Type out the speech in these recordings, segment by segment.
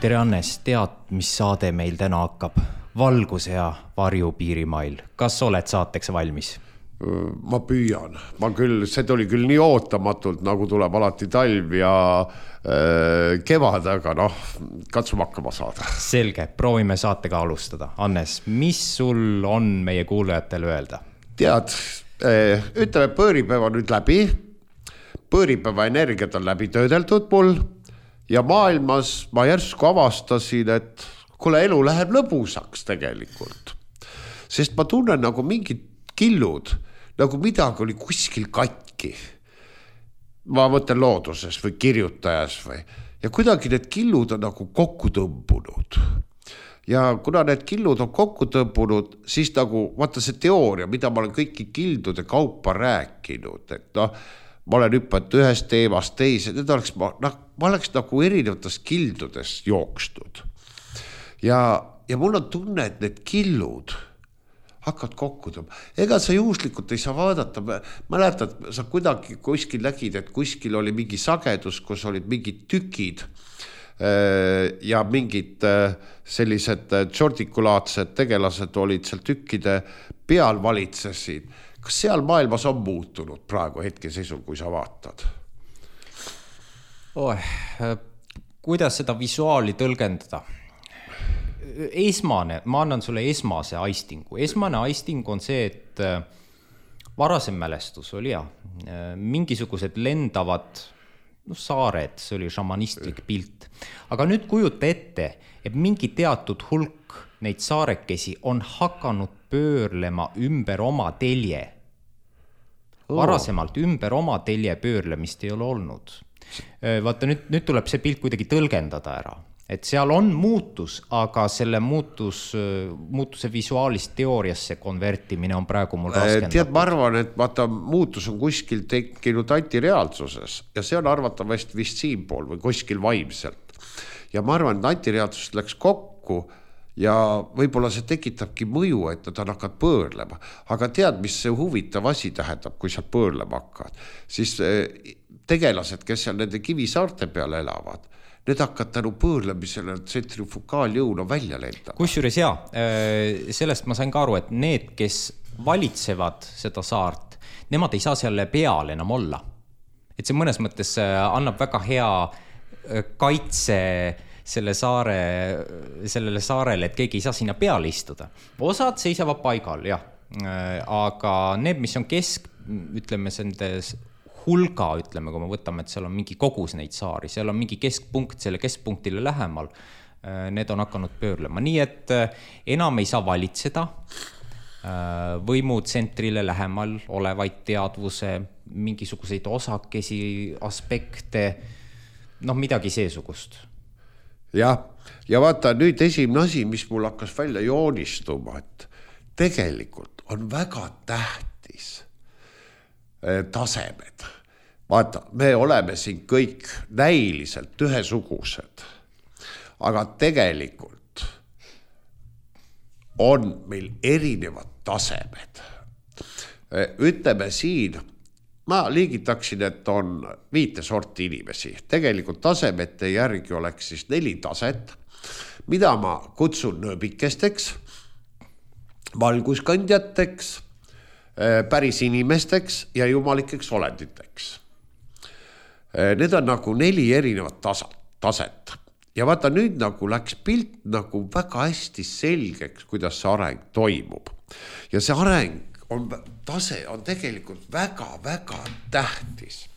tere Annes, tead, mis saade meil täna hakkab? Valgus ja varju piirimail. Kas oled saateks valmis? Ma püüan. See tuli küll nii ootamatult, nagu tuleb alati talv ja kevad, aga katsume hakkama saada. Selge, proovime saatega alustada. Annes, mis sul on meie kuulajatele öelda? Tead, ütleme, pööripäeva nüüd läbi. Pööripäeva energiat on läbi töödeldud mul ja maailmas ma järsku avastasin, et kuule, elu läheb lõbusaks tegelikult. Sest ma tunnen nagu mingid killud, nagu midagi oli kuskil katki. Ma mõtlen looduses või kirjutajas või. Ja kuidagi need killud on nagu kokku tõmbunud. Ja kuna need killud on kokku tõmbunud, siis nagu, vaata see teooria, mida ma olen kõiki kildude kaupa rääkinud, et ma olen hüpanud ühest teemast teise, ma oleks nagu erinevatest kildudest jookstud. Ja mul on tunne, et need killud hakkavad kokku tõmbama. Ega sa juhuslikult ei saa vaadata, mäletad, sa kuidagi kuskil nägid, et kuskil oli mingi sagedus, kus olid mingid tükid ja mingid sellised tšordikulaatsed tegelased olid seal tükkide peal valitsesid. Kas seal maailmas on muutunud praegu hetkeseisul, kui sa vaatad? Kuidas seda visuaali tõlgendada? Ma annan sulle esmase aistingu. Esmane aisting on see, et varasem mälestus oli mingisugused lendavad saared, see oli šamanistlik pilt. Aga nüüd kujuta ette, et mingi teatud hulk neid saarekesi on hakanud pöörlema ümber oma telje. Varasemalt ümber oma telje pöörlemist ei ole olnud. Vaata, nüüd tuleb see pilt kuidagi tõlgendada ära. Et seal on muutus, aga selle muutuse visuaalist teooriasse konvertimine on praegu mul raskendatud. Tead, ma arvan, et vaata, muutus on kuskil tekkinud antireaalsuses ja see on arvatavasti vist siinpool või kuskil vaimselt. Ja ma arvan, et antireaalsus läks kokku ja võib-olla see tekitabki mõju, et nad hakkavad pöörlema. Aga tead, mis see huvitav asi tähendab, kui seal pöörlema hakkavad? Siis tegelased, kes seal nende kivisaarte peal elavad, need hakkavad tänu pöörlemisele tsentrifugaaljõuna välja lendama. Kusjuures sellest ma sain ka aru, et need, kes valitsevad seda saart, nemad ei saa selle peal enam olla. Et see mõnes mõttes annab väga hea kaitse sellele saarele, et keegi ei saa sinna peale istuda. Osad seisavad paigal, aga need, mis on ütleme, sendes hulga, ütleme, kui me võtame, et seal on mingi kogus neid saari, seal on mingi keskpunkt, selle keskpunktile lähemal, need on hakanud pöörlema. Nii et enam ei saa valitseda võimutsentrile lähemal olevaid teadvuse, mingisuguseid osakesi, aspekte, midagi seesugust. Ja vaata nüüd esimene asi, mis mul hakkas välja joonistuma, et tegelikult on väga tähtis tasemed. Vaata, me oleme siin kõik näiliselt ühesugused, aga tegelikult on meil erinevad tasemed. Ütleme siin, ma liigitaksin, et on 5 sorti inimesi. Tegelikult tasemete järgi oleks siis 4 taset, mida ma kutsun nööbikesteks, valguskandjateks, päris inimesteks ja jumalikeks olenditeks. Need on nagu 4 erinevat taset. Ja vaata, nüüd nagu läks pilt nagu väga hästi selgeks, kuidas see areng toimub. Ja see tase on tegelikult väga-väga tähtis.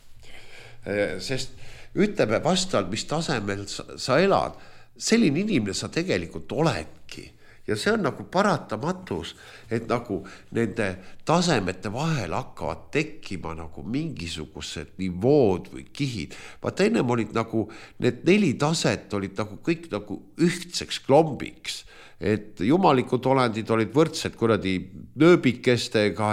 Sest ütleme vastavalt, mis tasemel sa elad, selline inimene sa tegelikult oledki. Ja see on nagu paratamatus, et nagu nende tasemete vahel hakkavad tekkima nagu mingisugused nivood või kihid. Vaata, ennem olid nagu, need 4 taset olid nagu kõik nagu ühtseks klombiks. Et jumalikud olendid olid võrdsed kuradi nööbikestega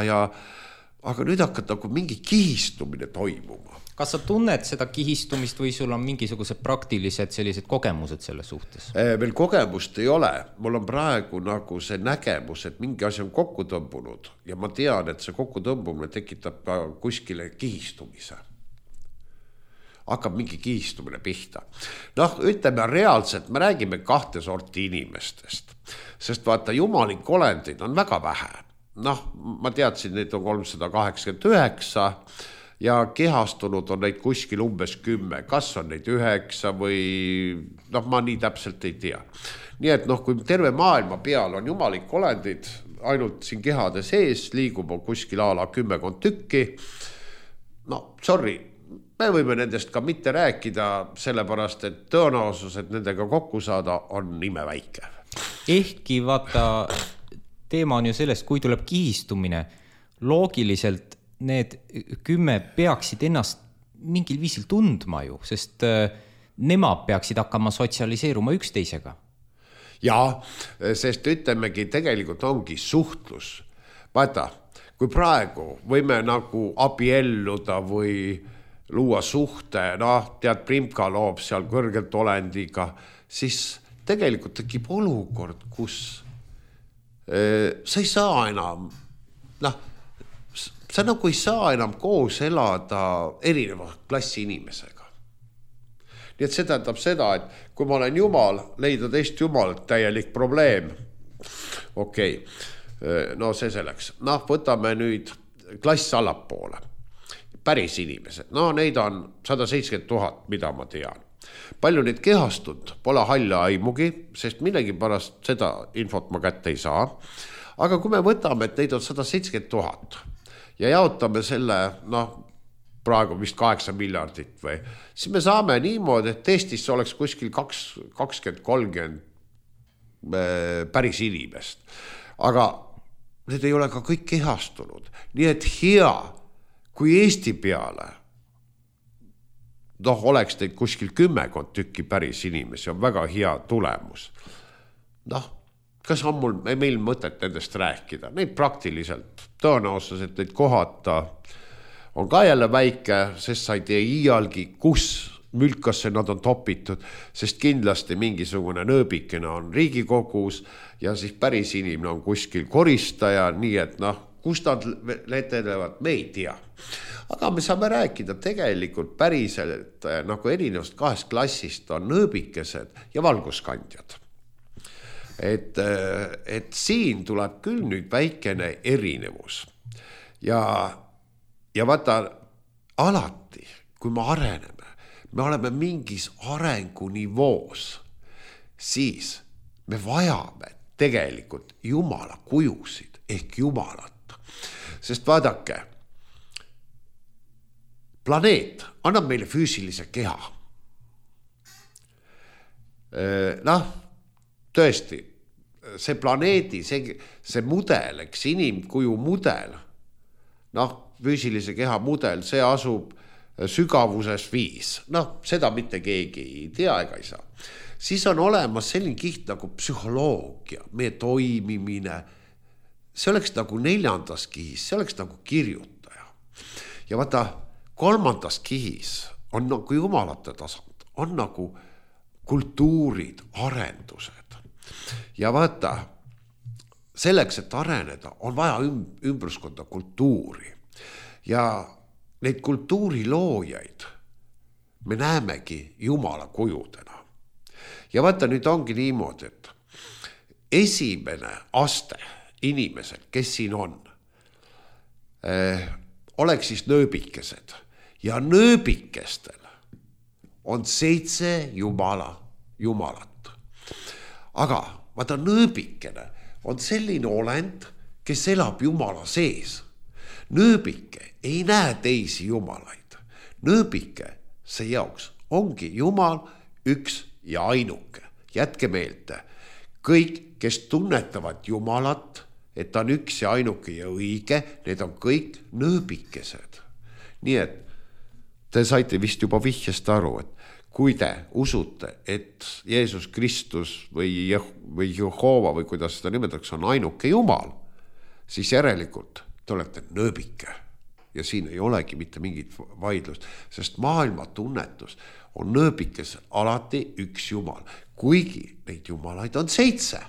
aga nüüd hakkab nagu mingi kihistumine toimuma. Kas sa tunned seda kihistumist või sul on mingisugused praktilised sellised kogemused selle suhtes? Veel kogemust ei ole. Mul on praegu nagu see nägemus, et mingi asi on kokku tõmbunud ja ma tean, et see kokku tõmbumine tekitab kuskile kihistumise. hakkab mingi kihistumine pihta. Noh, ütleme reaalselt, me räägime 2 sorti inimestest, sest vaata, jumalik olendid on väga vähe. Noh, ma teadsin, neid on 389 ja kehastunud on neid kuskil umbes 10, kas on neid 9 või noh, ma nii täpselt ei tea. Nii et noh, kui terve maailma peal on jumalik olendid, ainult siin kehade sees liigub kuskil ala 10 tükki, no sorry, me võime nendest ka mitte rääkida, sellepärast, et tõenäosus, et nendega kokku saada, on imeväike. Ehkki vaata, teema on ju sellest, kui tuleb kihistumine, loogiliselt need 10 peaksid ennast mingil viisil tundma ju, sest nemad peaksid hakkama sotsialiseeruma üksteisega. Jaa, sest ütlemegi, tegelikult ongi suhtlus. Vaata, kui praegu võime nagu abielluda või luua suhte, noh, tead, Primka loob seal kõrgelt olendiga, siis tegelikult tekib olukord, kus sa ei saa enam, noh, sa nagu ei saa enam koos elada erineva klassi inimesega. Nii et see tähendab seda, et kui ma olen jumal, leida teist jumalat täielik probleem. Okei, no see selleks. Noh, võtame nüüd klass allapoole. Päris inimesed, no neid on 170 000, mida ma tean. Palju neid kehastunud, pole halla aimugi, sest millegi pärast seda infot ma kätte ei saa. Aga kui me võtame, et neid on 170 000 ja jaotame selle, noh, praegu vist 8 miljardit või, siis me saame niimoodi, et Eestis oleks kuskil 20-30 päris inimest. Aga need ei ole ka kõik kehastunud. Nii et hea, kui Eesti peale noh, oleks teid kuskil 10 tükki päris inimesi, on väga hea tulemus. Noh, kas on meil mõtet nendest rääkida? Neid praktiliselt, tõenäosus, et neid kohata on ka jälle väike, sest sa ei tea iialgi, kus mülkasse nad on topitud, sest kindlasti mingisugune nööbikene on Riigikogus ja siis päris inimene on kuskil koristaja, nii et noh, kus nad letelevad, me ei tea. Aga me saame rääkida tegelikult päriselt nagu erinevast 2 klassist on nööbikesed ja valguskandjad. Et siin tuleb küll nüüd väikene erinevus. Ja vaata, alati, kui me areneme, me oleme mingis arengunivoos, siis me vajame tegelikult Jumala kujusid ehk Jumalat. Sest vaadake, planeet annab meile füüsilise keha. Noh, tõesti, see planeedi, see mudel, eks inimkuju mudel, noh, füüsilise keha mudel, see asub sügavuses 5. Noh, seda mitte keegi ei tea ega ei saa. Siis on olemas selline kiht nagu psühholoogia, meie toimimine. See oleks nagu 4. kihis, see oleks nagu kirjutaja. Ja vaata, 3. kihis on nagu jumalate tasand, on nagu kultuurid, arendused. Ja vaata, selleks, et areneda, on vaja ümbruskonda kultuuri. Ja neid kultuuriloojaid me näemegi Jumala kujudena. Ja vaata, nüüd ongi niimoodi, et esimene aste inimesed, kes siin on, oleks siis nööbikesed ja nööbikestel on 7 jumalat. Aga vaata, nööbikene on selline olend, kes elab Jumala sees. Nööbike ei näe teisi jumalaid. Nööbike see jaoks ongi Jumal üks ja ainuke. Jätke meelde, kõik, kes tunnetavad Jumalat, et ta on üks ja ainuke ja õige, need on kõik nööbikesed. Nii et te saite vist juba vihjest aru, et kui te usute, et Jeesus Kristus või Jehova või kuidas seda nimetatakse on ainuke Jumal, siis järelikult te olete nööbike. Ja siin ei olegi mitte mingit vaidlust, sest maailma tunnetus on nööbikes alati üks Jumal, kuigi neid jumalaid on 7.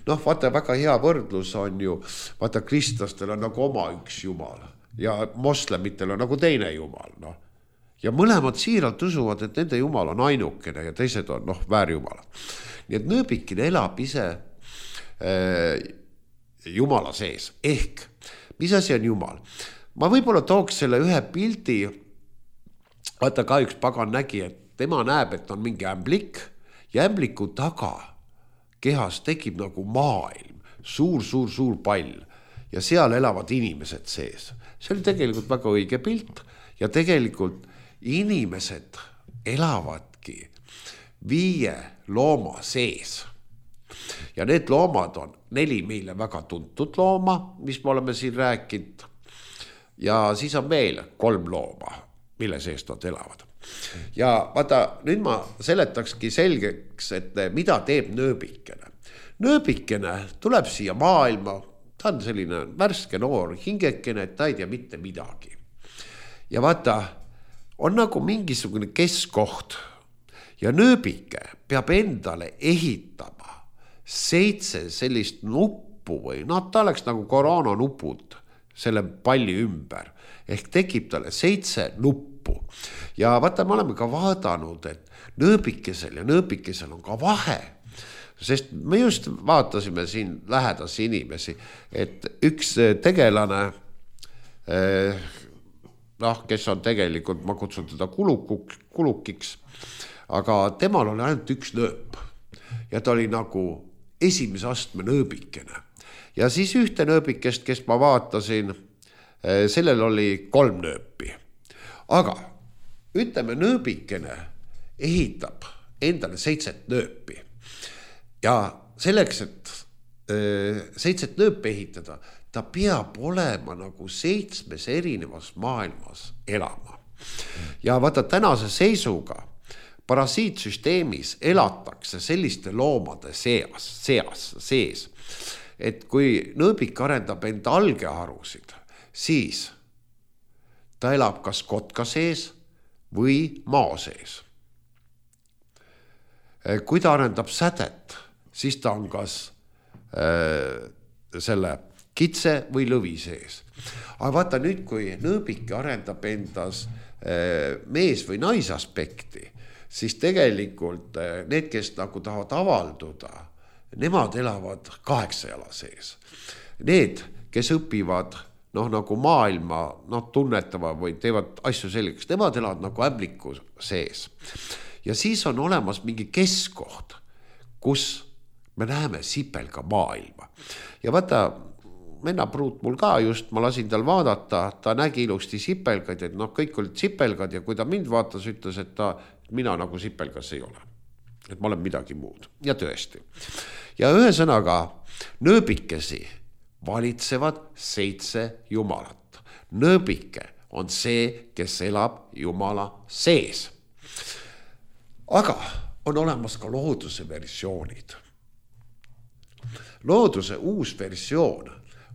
Noh, vaata, väga hea võrdlus on ju, vaata, kristlastel on nagu oma üks Jumal ja moslemitel on nagu teine Jumal, noh. ja mõlemad siiralt usuvad, et nende jumal on ainukene ja teised on väärjumalad. Nii et nööbikene elab ise jumala sees. Ehk, mis asi on jumal? Ma võib-olla tooks selle ühe pildi, vaata ka üks pagan nägi, et tema näeb, et on mingi ämblik ja ämbliku taga kehas tekib nagu maailm, suur pall ja seal elavad inimesed sees. See oli tegelikult väga õige pilt ja tegelikult inimesed elavadki 5 looma sees. Ja need loomad on 4 meile väga tuntud looma, mis me oleme siin rääkinud. Ja siis on veel 3 looma, mille sees nad elavad. Ja vaata, nüüd ma seletakski selgeks, et mida teeb nööbikene. Nööbikene tuleb siia maailma, ta on selline värske noor hingekene, et ta ei tea mitte midagi. Ja vaata, on nagu mingisugune keskkoht ja nööbike peab endale ehitama 7 sellist nuppu või ta oleks nagu koroonanupud selle palli ümber. Ehk tekib talle 7 nuppu. Ja vaata, me oleme ka vaadanud, et nööbikesel ja nööbikesel on ka vahe. Sest me just vaatasime siin lähedas inimesi, et üks tegelane, kes on tegelikult, ma kutsun teda kulukiks, aga temal oli ainult üks nööp. Ja ta oli nagu esimese astme nööbikene. Ja siis ühte nööbikest, kes ma vaatasin, sellel oli 3 nööpi. Aga ütleme, nööbikene ehitab endale 7 nööpi. Ja selleks, et 7 nööpi ehitada, ta peab olema nagu 7 erinevas maailmas elama. Ja vaata, tänase seisuga parasiitsüsteemis elatakse selliste loomade sees, et kui nööbik arendab enda algeharusid, siis ta elab kas kotka sees või maa sees. Kui ta arendab sädet, siis ta on kas selle kitse või lõvi sees. Aga vaata nüüd, kui nööbik arendab endas mees või naisaspekti, siis tegelikult need, kes nagu tahavad avalduda, nemad elavad 8 jala sees. Need, kes õpivad nagu maailma tunnetava või teevad asju selgeks, nemad elavad nagu ämbliku sees. Ja siis on olemas mingi keskkoht, kus me näeme sipelga maailma. Ja vaata, Menna pruut mul ka just, ma lasin tal vaadata, ta nägi ilusti sipelgaid, et kõik olid sipelgad ja kui ta mind vaatas, ütles, et mina nagu sipelgas ei ole. Et ma olen midagi muud. Ja tõesti. Ja ühesõnaga, nööbikesi valitsevad 7 jumalat. Nööbike on see, kes elab jumala sees. Aga on olemas ka looduse versioonid. Looduse uus versioon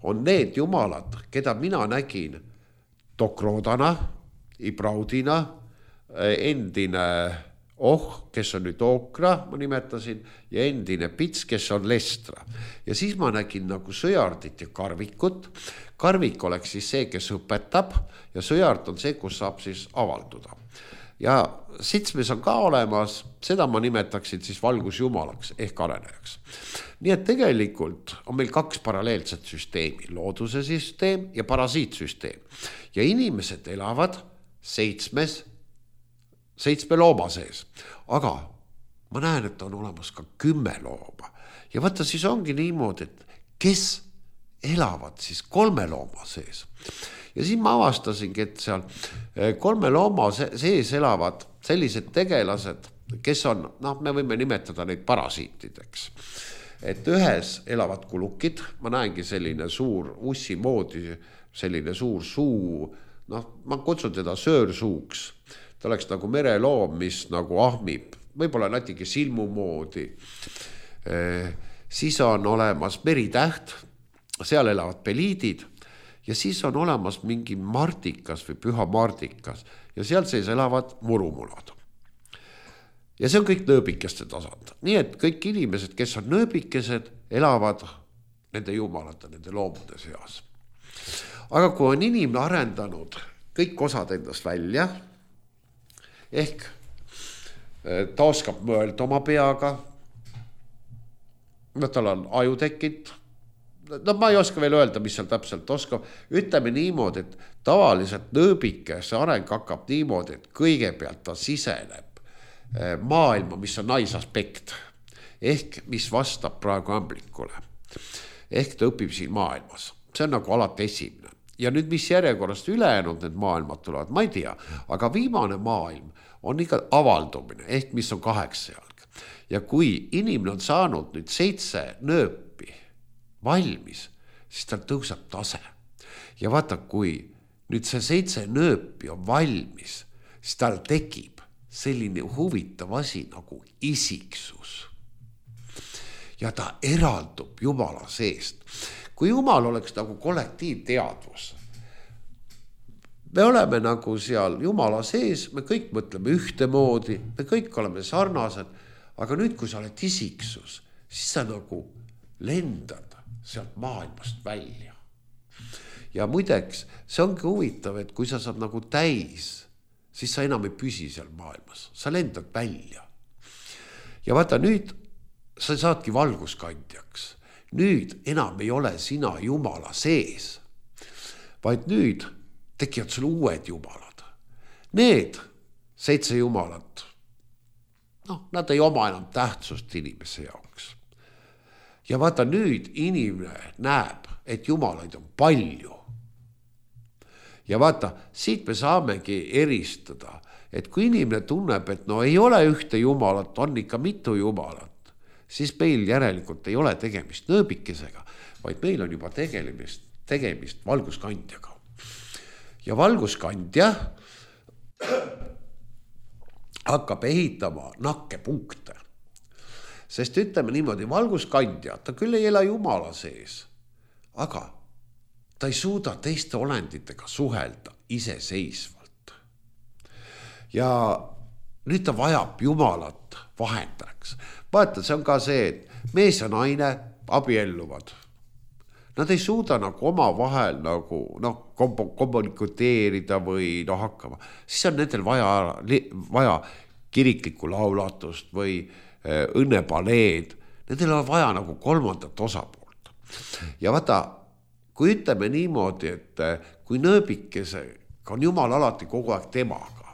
on need jumalad, keda mina nägin Dokrodana, Ibraudina, endine kes on nüüd Okra, ma nimetasin, ja endine Pits, kes on Lestra. Ja siis ma nägin nagu sõjardit ja karvikut. Karvik oleks siis see, kes õpetab ja sõjard on see, kus saab siis avalduda. Ja 7 on ka olemas, seda ma nimetaksin siis valgusjumalaks ehk arenejaks. Nii et tegelikult on meil 2 paralleelset süsteemi, looduse süsteem ja parasiitsüsteem. Ja inimesed elavad 7 looma sees. Aga ma näen, et on olemas ka 10 looma. Ja vaata, siis ongi niimoodi, et kes elavad siis 3 looma sees. Ja siin ma avastasingi, et seal 3 looma sees elavad sellised tegelased, kes on, me võime nimetada neid parasiitideks. Et ühes elavad kulukid, ma näengi selline suur ussi moodi, selline suur suu, ma kutsun teda söörsuuks. Ta oleks nagu mereloom, mis nagu ahmib, võib-olla natuke silmu moodi. Siis on olemas meritäht, seal elavad peliidid ja siis on olemas mingi mardikas või püha mardikas ja seal sees elavad murumulad. Ja see on kõik nööbikeste tasand. Nii et kõik inimesed, kes on nööbikesed, elavad nende jumalate, nende loomade seas. Aga kui on inimene arendanud kõik osad endast välja, ehk ta oskab mõelda oma peaga. Tal on aju tekkinud. No ma ei oska veel öelda, mis seal täpselt oskab. Ütleme niimoodi, et tavaliselt nööbike see areng hakkab niimoodi, et kõigepealt ta siseneb maailma, mis on naisaspekt. Ehk mis vastab praegu ämblikule. Ehk ta õpib siin maailmas. See on nagu alati esimene. Ja nüüd mis järjekorrast ülejäänud need maailmad tulevad, ma ei tea. Aga viimane maailm on ikka avaldumine, ehk mis on 8 jalg. Ja kui inimene on saanud nüüd 7 nööpi valmis, siis tal tõuseb tase. Ja vaata, kui nüüd see 7 nööpi on valmis, siis tal tekib selline huvitav asi nagu isiksus. Ja ta eraldub Jumala seest. Kui Jumal oleks nagu kollektiivteadvus, me oleme nagu seal Jumala sees, me kõik mõtleme ühtemoodi, me kõik oleme sarnased, aga nüüd, kui sa oled isiksus, siis sa nagu lendad sealt maailmast välja. Ja muideks, see ongi huvitav, et kui sa saad nagu täis, siis sa enam ei püsi seal maailmas. Sa lendad välja. Ja vaata nüüd, sa saadki valguskandjaks. Nüüd enam ei ole sina Jumala sees, vaid nüüd tekivad sul uued jumalad. Need 7 jumalat, nad ei oma enam tähtsust inimese jaoks. Ja vaata nüüd inimene näeb, et jumalaid on palju. Ja vaata, siit me saamegi eristada, et kui inimene tunneb, et ei ole ühte jumalat, on ikka mitu jumalat, siis meil järelikult ei ole tegemist nööbikesega, vaid meil on juba tegemist valguskandjaga. Ja valguskandja hakkab ehitama nakkepunkte. Sest ütleme niimoodi, valguskandja, ta küll ei ela Jumala sees, aga ta ei suuda teiste olenditega suhelda iseseisvalt. Ja nüüd ta vajab Jumalat vahendajaks. Vaata, see on ka see, et mees ja naine abielluvad. Nad ei suuda nagu oma vahel nagu, kommunikeerida või hakkama. Siis on nendel vaja kiriklikku laulatust või õnnepaleed. Nendel on vaja nagu 3. osapoolt. Ja vaata, kui ütleme niimoodi, et kui nööbikesega on Jumal alati kogu aeg temaga,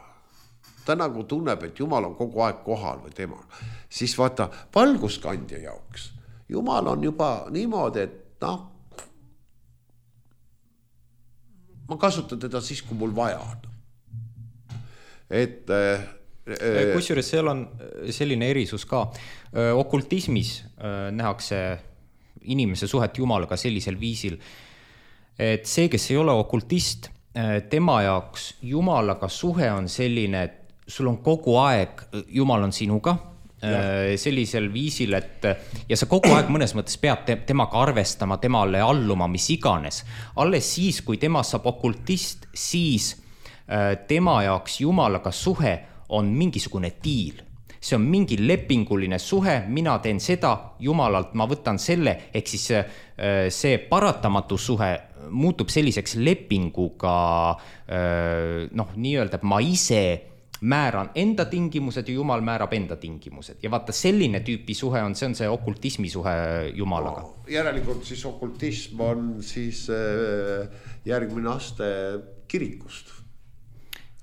ta nagu tunneb, et Jumal on kogu aeg kohal või temaga, siis vaata, valguskandja jaoks Jumal on juba niimoodi, et ma kasutan teda siis, kui mul vaja on. Kusjuures seal on selline erisus ka. Okultismis nähakse inimese suhet Jumalaga sellisel viisil, et see, kes ei ole okultist, tema jaoks Jumalaga suhe on selline, et sul on kogu aeg, Jumal on sinuga, sellisel viisil, et ja sa kogu aeg mõnes mõttes peab temaga arvestama, temale alluma, mis iganes. Alles siis, kui tema saab okultist, siis tema jaoks Jumalaga suhe on mingisugune diil. See on mingi lepinguline suhe, mina teen seda, Jumalalt ma võtan selle, ehk siis see paratamatu suhe muutub selliseks lepinguga, nii-öelda, et ma ise määran enda tingimused ja Jumal määrab enda tingimused. Ja vaata, selline tüüpi suhe on, see on see okultismi suhe Jumalaga. Järelikult siis okultism on siis järgmine aste kirikust.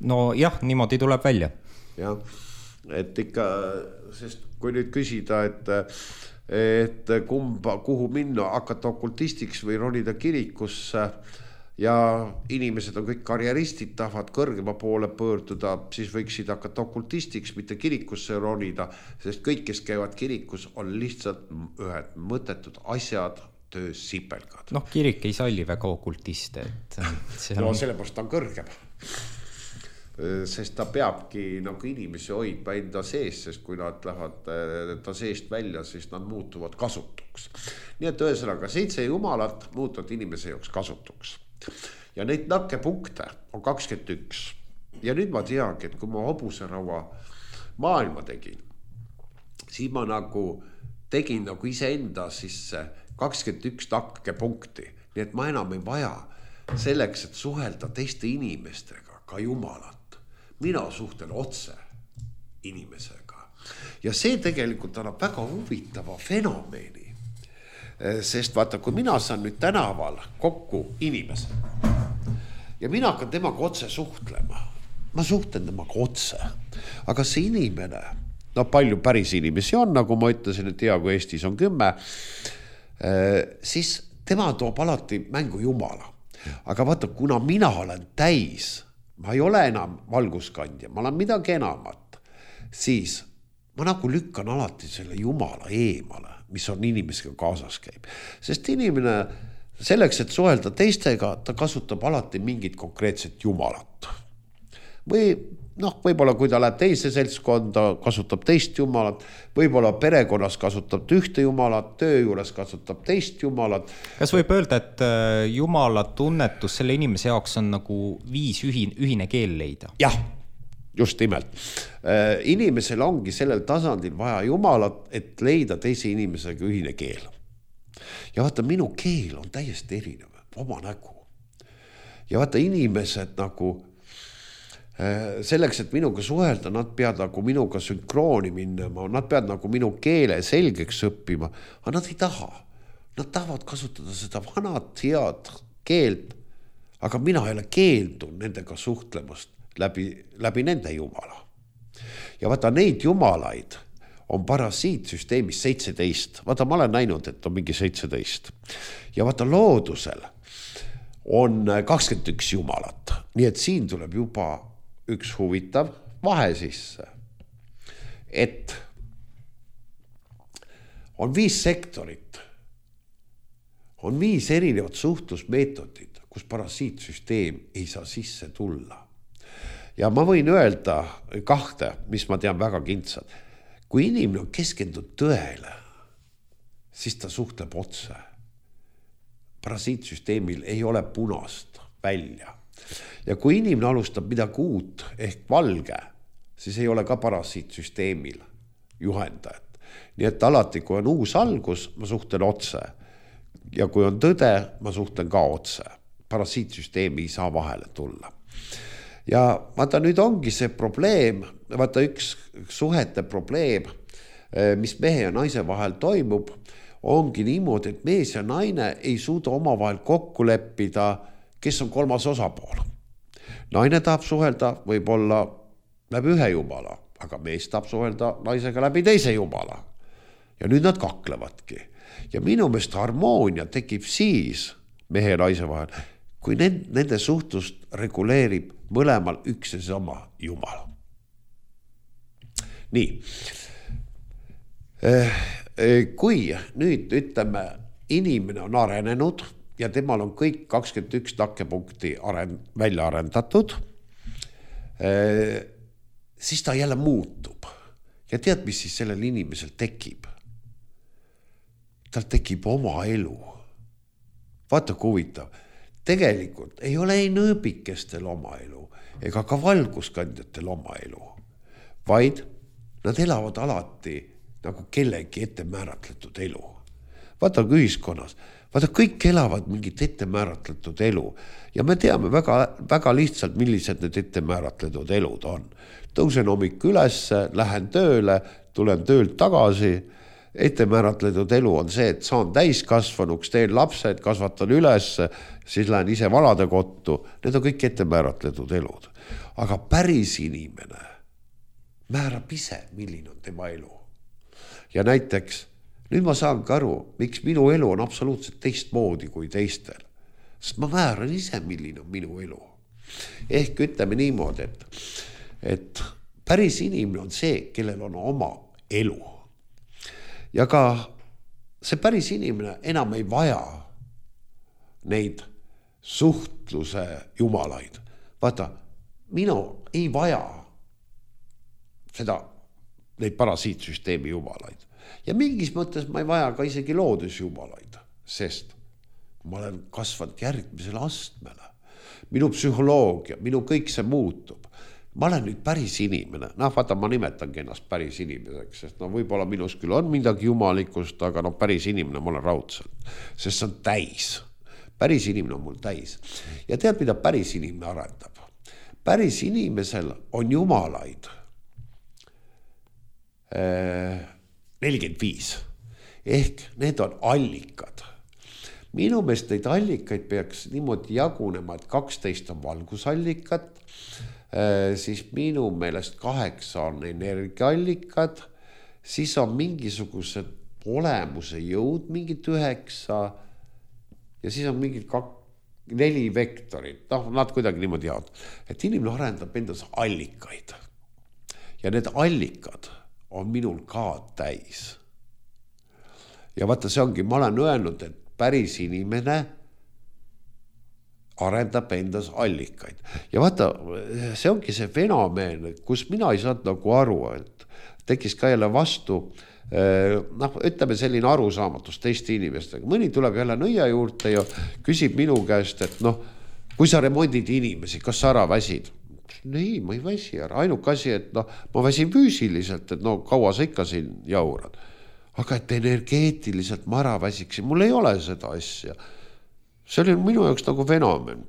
No jah, niimoodi tuleb välja. Jah, et ikka, sest kui nüüd küsida, et kuhu minna, hakata okultistiks või ronida kirikusse ja inimesed on kõik karjeristid, tahavad kõrgema poole pöörduda, siis võiksid hakata okultistiks, mitte kirikusse ronida, sest kõik, kes käivad kirikus, on lihtsalt ühed mõttetud asjad, töös sipelgad. Kirik ei salli väga okultiste. Sellepärast ta on kõrgem. Sest ta peabki nagu inimesi hoidma enda sees, sest kui nad lähevad ta seest välja, siis nad muutuvad kasutuks. Nii et ühesõnaga 7 jumalat muutuvad inimese jaoks kasutuks. Ja neid nakkepunkte on 21. Ja nüüd ma teagi, et kui ma hobuseraua maailma tegin, siis ma nagu tegin nagu iseenda sisse 21 nakkepunkti. Nii et ma enam ei vaja selleks, et suhelda teiste inimestega ka Jumalat. Mina suhtlen otse inimesega. Ja see tegelikult annab väga huvitava fenomeni. Sest vaata, kui mina saan nüüd tänaval kokku inimese ja mina hakkan temaga otse suhtlema, ma suhtlen temaga otse, aga see inimene, no palju päris inimesi on, nagu ma ütlesin, et hea, kui Eestis on 10, siis tema toob alati mängu Jumala. Aga vaata, kuna mina olen täis, ma ei ole enam valguskandja, ma olen midagi enamat, siis ma nagu lükkan alati selle Jumala eemale, mis on inimesega kaasas käib. Sest inimene selleks, et suhelda teistega, ta kasutab alati mingit konkreetset Jumalat. Või võib-olla kui ta läheb teise seltskonda, kasutab teist Jumalat, võib-olla perekonnas kasutab ühte Jumalat, töö juures kasutab teist Jumalat. Kas võib öelda, et Jumala tunnetus selle inimese jaoks on nagu viis ühine keel leida? Jah, just nimelt. Inimesel ongi sellel tasandil vaja Jumalat, et leida teise inimesega ühine keel. Ja vaata, minu keel on täiesti erinev, oma nägu. Ja vaata, inimesed nagu selleks, et minuga suhelda, nad peavad nagu minuga sünkrooni minema, nad peavad nagu minu keele selgeks õppima, aga nad ei taha. Nad tahavad kasutada seda vanat head keelt, aga mina ei ole keeldun nendega suhtlemast läbi nende Jumala. Ja vaata, neid Jumalaid on parasiitsüsteemis 17. Vaata, ma olen näinud, et on mingi 17. Ja vaata, loodusel on 21 Jumalat. Nii et siin tuleb juba üks huvitav vahe sisse. Et on 5 sektorit. On 5 erinevat suhtlusmeetodid, kus parasiitsüsteem ei saa sisse tulla. Ja ma võin öelda 2, mis ma tean väga kintsad. Kui inimene on keskendunud tõele, siis ta suhtleb otse. Parasiitsüsteemil ei ole punast välja. Ja kui inimene alustab midagi uut ehk valge, siis ei ole ka parasiitsüsteemil juhendajat. Nii et alati, kui on uus algus, ma suhtlen otse. Ja kui on tõde, ma suhtlen ka otse. Parasiitsüsteemi ei saa vahele tulla. Ja vaata, nüüd ongi see probleem, vaata üks suhete probleem, mis mehe ja naise vahel toimub, ongi niimoodi, et mees ja naine ei suuda omavahel kokku leppida, kes on 3. osapool. Naine tahab suhelda võib-olla läbi ühe Jumala, aga mees tahab suhelda naisega läbi teise Jumala. Ja nüüd nad kaklevadki. Ja minu meelest harmoonia tekib siis mehe ja naise vahel, kui nende suhtlust reguleerib mõlemal üks ja sama Jumal. Nii. Kui nüüd ütleme, inimene on arenenud ja temal on kõik 21 takkepunkti välja arendatud, siis ta jälle muutub. Ja tead, mis siis sellel inimesel tekib? Tal tekib oma elu. Vaata, kui huvitav. Tegelikult ei ole ei nõõbikestel oma elu ega ka valguskandjatel oma elu, vaid nad elavad alati nagu kellegi ette määratletud elu. Vaata ühiskonnas, vaata kõik elavad mingit ette määratletud elu ja me teame väga, väga lihtsalt, millised need ette määratletud elud on. Tõusen hommik üles, lähen tööle, tulen töölt tagasi. Ette määratletud elu on see, et saan täiskasvanuks, teen lapsed, kasvatan üles, siis lähen ise vanade kottu. Need on kõik ette määratletud elud. Aga päris inimene määrab ise, milline on tema elu. Ja näiteks, nüüd ma saan ka aru, miks minu elu on absoluutselt teistmoodi kui teistel. Sest ma määran ise, milline on minu elu. Ehk ütleme niimoodi, et päris inimene on see, kellel on oma elu. Ja ka see päris inimene enam ei vaja neid suhtluse jumalaid. Vaata, minu ei vaja neid parasiitsüsteemi jumalaid. Ja mingis mõttes ma ei vaja ka isegi loodusjumalaid, sest ma olen kasvanud järgmisele astmele. Minu psühholoogia, minu kõik see muutub. Ma olen nüüd päris inimene. Vaata, ma nimetangi ennast päris inimeseks, sest võib-olla minus küll on midagi jumalikust, aga päris inimene ma olen raudselt, sest see on täis. Päris inimene on mul täis. Ja tead, mida päris inimene arendab? Päris inimesel on jumalaid 45. Ehk need on allikad. Minu meelest neid allikaid peaks niimoodi jagunema, et 12 on valgusallikad, siis minu meelest 8 on energiaallikad, siis on mingisugused olemuse jõud, mingid 9 ja siis on mingid 4 vektorit. Nad kuidagi niimoodi jaod. Et inimene arendab endas allikaid. Ja need allikad on minul ka täis. Ja vaata, see ongi, ma olen öelnud, et päris inimene arendab endas allikaid. Ja vaata, see ongi see fenomen, kus mina ei saanud nagu aru, et tekkis ka jälle vastu, ütleme selline arusaamatus teiste inimestega. Mõni tuleb jälle nõia juurde ja küsib minu käest, et kui sa remondid inimesi, kas sa ära väsid? Ei, ma ei väsi ära. Ainuke asi, et ma väsin füüsiliselt, et kaua sa ikka siin jaurad. Aga et energeetiliselt ma ära väsiksin, mul ei ole seda asja. See oli minu jaoks nagu fenomen.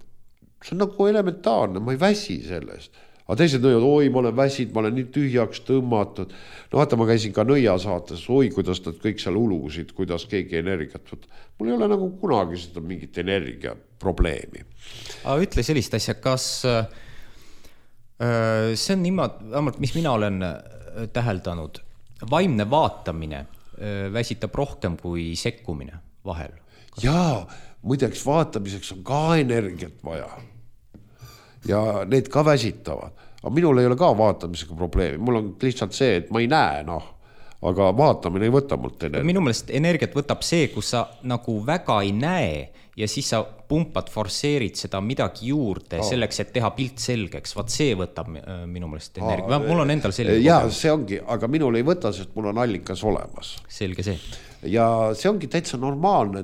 See on nagu elementaarne, ma ei väsi sellest. Aga teised nõivad, oi, ma olen väsid, ma olen nii tühjaks tõmmatud. Vaata, ma käisin ka nõia saates, oi, kuidas nad kõik seal ulusid, kuidas keegi energiat võtta. Mul ei ole nagu kunagi seda mingit energia probleemi. Aga ütle sellist asja, kas see on niimoodi, mis mina olen täheldanud, vaimne vaatamine väsitab rohkem kui sekkumine vahel. Jaa, muideks vaatamiseks on ka energiat vaja. Ja need ka väsitavad. Aga minul ei ole ka vaatamisega probleemi. Mul on lihtsalt see, et ma ei näe, aga vaatamine ei võta mult energiat. Minu meelest energiat võtab see, kus sa nagu väga ei näe ja siis sa pumpad, forsseerid seda midagi juurde selleks, et teha pilt selgeks. Vaat see võtab minu meelest energia. Mul on endal selline. Jaa, see ongi, aga minul ei võta, sest mul on allikas olemas. Selge see. Ja see ongi täitsa normaalne,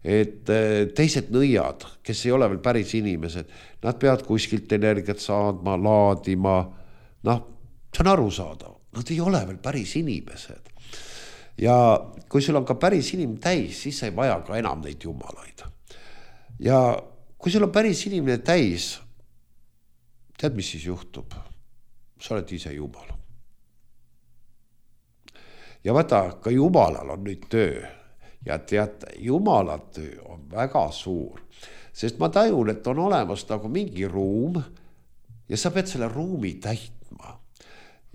et teised nõiad, kes ei ole veel päris inimesed, nad peavad kuskilt energiat saadma, laadima. See on arusaadav. Nad ei ole veel päris inimesed. Ja kui sul on ka päris inim täis, siis ei vaja ka enam neid jumalaid. Ja kui sul on päris inimene täis, tead, mis siis juhtub? Sa oled ise jumal. Ja vaata, ka jumalal on nüüd töö. Ja teate, jumala töö on väga suur. Sest ma tajun, et on olemas nagu mingi ruum ja sa pead selle ruumi täitma.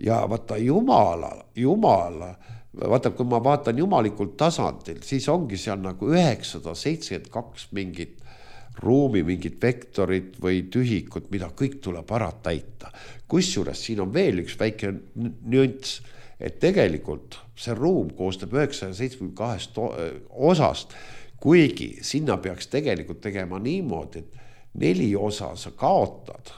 Ja vaata, jumala, vaata, kui ma vaatan jumalikult tasandil, siis ongi seal nagu 972 mingit ruumi, mingit vektorit või tühikut, mida kõik tuleb ära täita. Kusjuures siin on veel üks väike nüanss, et tegelikult see ruum koostab 972 osast, kuigi sinna peaks tegelikult tegema niimoodi, et 4 osa sa kaotad,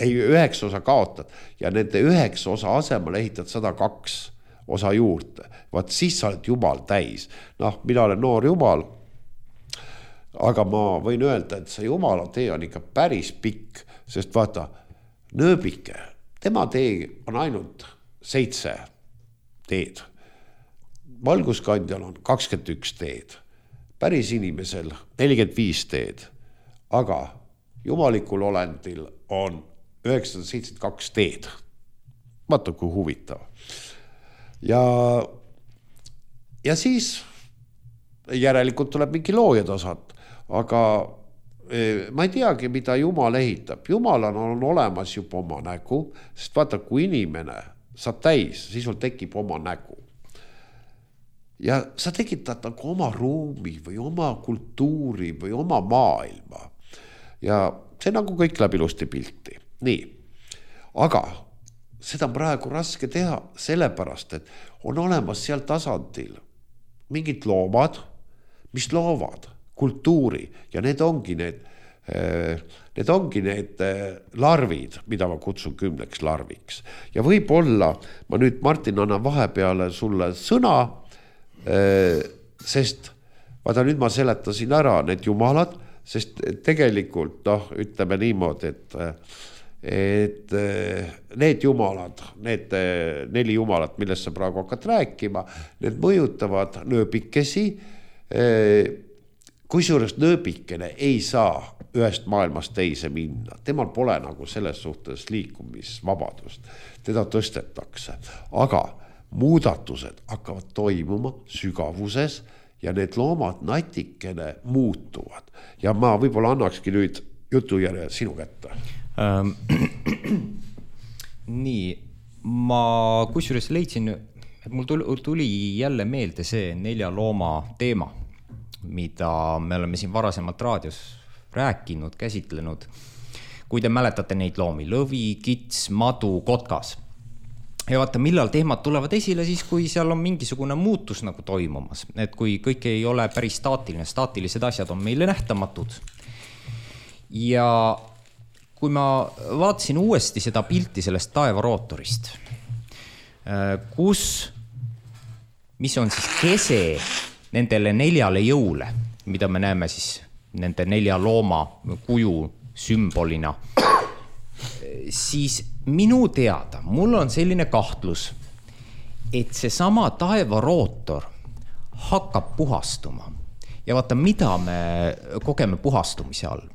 9 osa kaotad ja nende 9 osa asemel ehitad 102 osa juurde. Vaat siis sa oled jumal täis. Mina olen noor jumal, aga ma võin öelda, et see jumala tee on ikka päris pikk, sest vaata, nööbike, tema tee on ainult 7 teed. Valguskandjal on 21 teed, päris inimesel 45 teed, aga jumalikul olendil on 972 teed. Vaata, kui huvitav. Ja siis järelikult tuleb mingi loojatasand, aga ma ei teagi, mida Jumal ehitab. Jumalal on olemas juba oma nägu, sest vaata, kui inimene saab täis, siis sul tekib oma nägu. Ja sa tekitad nagu oma ruumi või oma kultuuri või oma maailma. Ja see nagu kõik läheb ilusti pilti. Nii, aga seda on praegu raske teha sellepärast, et on olemas seal tasandil mingid loomad, mis loovad kultuuri ja need ongi need larvid, mida ma kutsun 10 larviks. Ja võib-olla ma nüüd, Martin, annan vahepeale sulle sõna, sest vaata, nüüd ma seletasin ära need jumalad, sest tegelikult, ütleme niimoodi, et need jumalad, need 4 jumalat, millest sa praegu hakkad rääkima, need mõjutavad nööbikesi, kusjuures nööbikene ei saa ühest maailmast teise minna. Temal pole nagu selles suhtes liikumisvabadust. Teda tõstetakse, aga muudatused hakkavad toimuma sügavuses ja need loomad natikene muutuvad. Ja ma võib-olla annakski nüüd jutujärje sinu kätte. Nii, ma kusjuures leidsin, et mul tuli jälle meelde see 4 looma teema, mida me oleme siin varasemalt raadios rääkinud, käsitlenud. Kui te mäletate neid loomi, lõvi, kits, madu, kotkas. Ja vaata, millal teemad tulevad esile, siis kui seal on mingisugune muutus nagu toimumas. Et kui kõik ei ole päris staatiline, staatilised asjad on meile nähtamatud. Ja kui ma vaatasin uuesti seda pilti sellest taevarootorist, mis on siis kese nendele 4 jõule, mida me näeme siis nende 4 looma kuju sümbolina, siis minu teada, mul on selline kahtlus, et see sama taevarootor hakkab puhastuma. Ja vaata, mida me kogeme puhastumise all.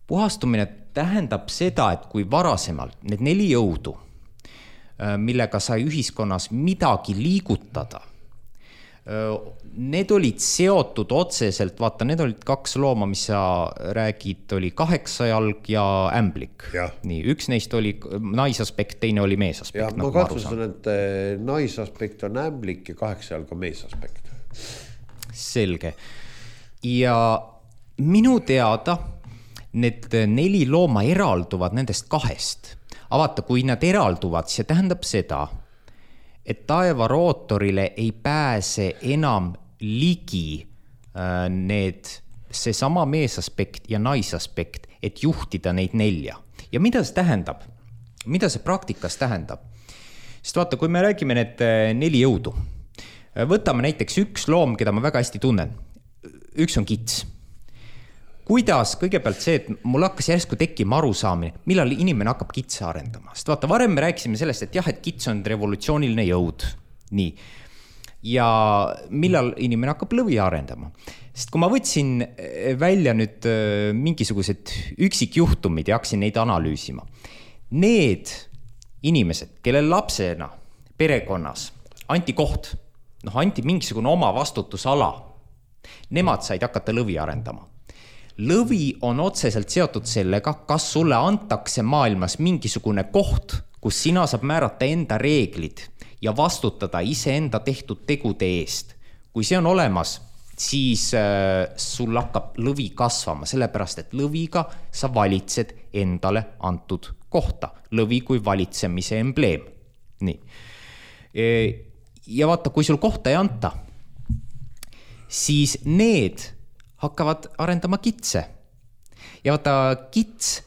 Puhastumine tähendab seda, et kui varasemalt need 4 jõudu, millega sai ühiskonnas midagi liigutada, need olid seotud otseselt, vaata, need olid 2 looma, mis sa räägid, oli 8jalg ja ämblik. Nii, üks neist oli naisaspekt, teine oli meesaspekt. Ja ma katsusin, et naisaspekt on ämblik ja 8jalg on meesaspekt. Selge. Ja minu teada need 4 looma eralduvad nendest 2. Aga vaata, kui nad eralduvad, see tähendab seda, et taevarootorile ei pääse enam ligi see sama meesaspekt ja naisaspekt, et juhtida neid 4. Ja mida see tähendab? Mida see praktikas tähendab? Sest vaata, kui me räägime need 4 jõudu, võtame näiteks üks loom, keda ma väga hästi tunnen. Üks on kits. Kuidas kõigepealt see, et mul hakkas järsku tekkima arusaamine, millal inimene hakkab kitse arendama. Sest vaata, varem me rääkisime sellest, et jah, et kits on revolutsiooniline jõud. Nii. Ja millal inimene hakkab lõvi arendama. Sest kui ma võtsin välja nüüd mingisugused üksikjuhtumid ja hakkasin neid analüüsima. Need inimesed, kellel lapsena perekonnas anti koht, anti mingisugune oma vastutusala, nemad said hakata lõvi arendama. Lõvi on otseselt seotud sellega, kas sulle antakse maailmas mingisugune koht, kus sina saab määrata enda reeglid ja vastutada iseenda tehtud tegude eest. Kui see on olemas, siis sul hakkab lõvi kasvama, sellepärast et lõviga sa valitsed endale antud kohta. Lõvi kui valitsemise embleem. Nii. Ja vaata, kui sul kohta ei anta, siis need hakkavad arendama kitse. Ja vaata, kits